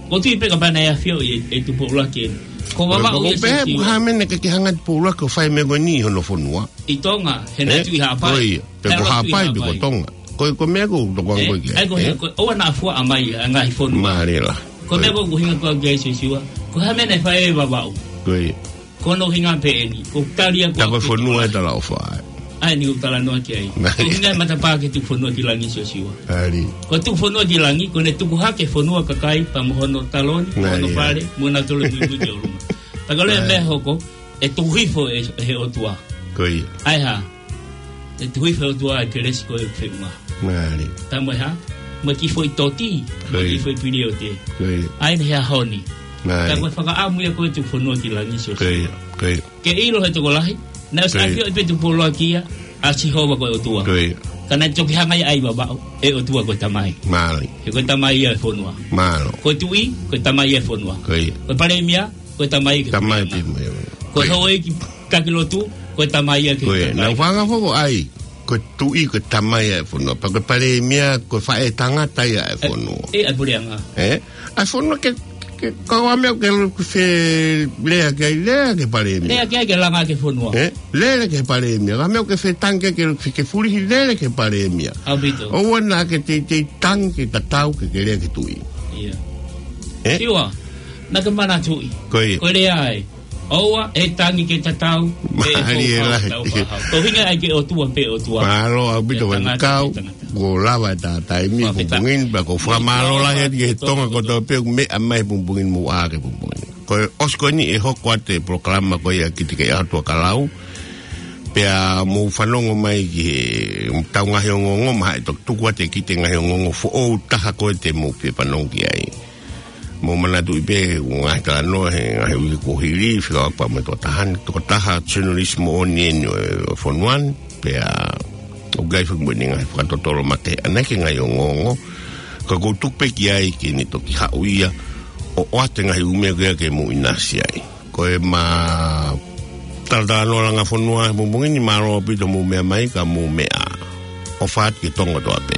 ʻoku ou tui pē kapau naʻe ʻafioʻi ʻe, ʻe Tupou ʻUluaki eni. Ko Vavaʻu Ko ia pehē Siosiua. ʻoku hā meʻa naʻe ʻikai ke hanga ʻe Tupou ʻUluaki ʻo fai meʻa ko eni hono fonua. ʻI Tonga, he naʻe Ē? tuʻi Haʻapai. Ko ia. Pea He ko ʻalu atu ʻi Haʻapai, pea ko Haʻapai. Tonga. Ko, ko e meʻa ʻoku ou tokanga Ē? ko ē ki ai, Ai, ko ē? he, ko, ʻoua naʻa fuaʻa mai, ʻa e ngaahi fonua. Mālie la. Ko e Ko meʻa ia. ʻoku ou ʻuhinga ko ē ki ai Siosiua. Ko e hā meʻa naʻe fai ʻe Vavaʻu. Ko ia. Ko hono ʻuhinga pē eni. Ko e tali ʻa Ka ko e fonua ʻe talaʻofa ai. ʻA ia eni ʻoku ou talanoa ki ai. Mālie. Ko e ʻuhinga e matapā ki he tuʻu fonua ki langi Siosiua. Mālie. Ko e tuʻu fonua ki langi, ko ʻene tuku hake fonua kakai, pea mo hono taloni, mo hono Mālie. fale, mo nautolu muimui ki ʻolunga. Pea ka lea Mālie. meʻa hoko, ʻe tuku hifo ʻe, ʻe he ʻOtua. Ko ia. ʻA e hā? ʻE tuku hifo ʻe he ʻOtua e kelesi ko e feʻunga. Mālie. Pea mo e hā? Mo e kiʻi foʻi toti, mo e Ko ia. kiʻi foʻi piliote. Ko ia. ʻA ia eni he ʻaho ni. Mālie. Pea ko e fakaʻamu ia ko e tuʻu fonua ki langi Siosiua. Ko ia. Ko ia. Ke ʻilo ʻe he tokolahi, naʻe ʻosi Ko ia. ʻafioʻi pē ʻe Tupou ʻUluaki ia, ʻa Sihova ko e ʻOtua. Ko ia. Ka naʻe toki hanga ia ʻe Vavaʻu, ʻe ʻOtua ko e tamai. Mālie. He ko e tamai ia e fonua. Mālō. Ko e tuʻi, ko e tamai ia e fonua. Ko ia. Ko e palēmia, ko e tamai ia ki he Tamai palēmia. pē mo ia. Ko e Ko ia. houʻeiki taki lotu, ko e tamai ia ki he Ko ia. kakai. Naʻa ku fanga foko ai, ko e tuʻi, ko e tamai ia e fonua. Pea ko e palēmia, ko e faʻētangata ia e fonua. Ē, ʻa e puleʻanga. Ē? ʻA e fonua ke, ke, ko e meʻa ke lu-, ke fe-, lea ki ai, lea ki he palēmia. Lea ki ai ke langa ki he fonua. Ē? Lele ki he palēmia. Ko e meʻa ke fetangi ke lu-, ke fulihi lele ki he palēmia. ʻAupito. ʻOua naʻa ke teitei tangi ke tatau ke ke lea ki he tuʻi. ʻIa. Ē? Siua, naʻa ke manatuʻi. Ko ia. Ko e lea ē. ʻOua ʻe tangi ke tatau, ʻe Mālie fou lahi. tau fahau. Ko e ʻuhinga ʻa e ke ʻOtua pē ʻOtua. Mālō ʻaupito ʻE tangata, Faifekau, ʻe tangata. kuo lava e tā taimi Fua fita. pongipongi ni, pea ʻoku ou fakamālō lahi atu ki he Tonga kotoa pē, meʻa mai pongipongi ni mo ʻā ki he pongipongi ni. Ko e ʻosi ko eni ʻe hoko atu e polokalama ko ia ki te ke ʻatua kalau. Pea mou fanongo mai ki he tau ngaahi ongoongo, mahalo ʻe toki tuku atu e ki te ngaahi ongoongo foʻou taha ko ē te mou fie fanongo ki ai. Mou manatuʻi pē, ʻoku ngaahi talanoa he ngaahi uike kuo hili, fika pea mo e tokotaha ni, tokotaha journalist moʻoni eni ʻo e, ʻo e fonua ni, pea ʻoku ʻi ai foki mo ʻene ngaahi fakatotolo makehe ʻaʻana ki he ngaahi ongoongo, ka ʻoku ou tuku pē ki ai ke ne toki haʻu ia, ʻo ʻoatu e ngaahi ʻū meʻa ko ia ke mou ʻinasi ai. Ko ʻema talatalanoa langa fonua he pongipongi ni, mālō ʻaupito mou meʻa mai, ka mou meʻa ā. ʻOfa atu ki he Tonga kotoa pē.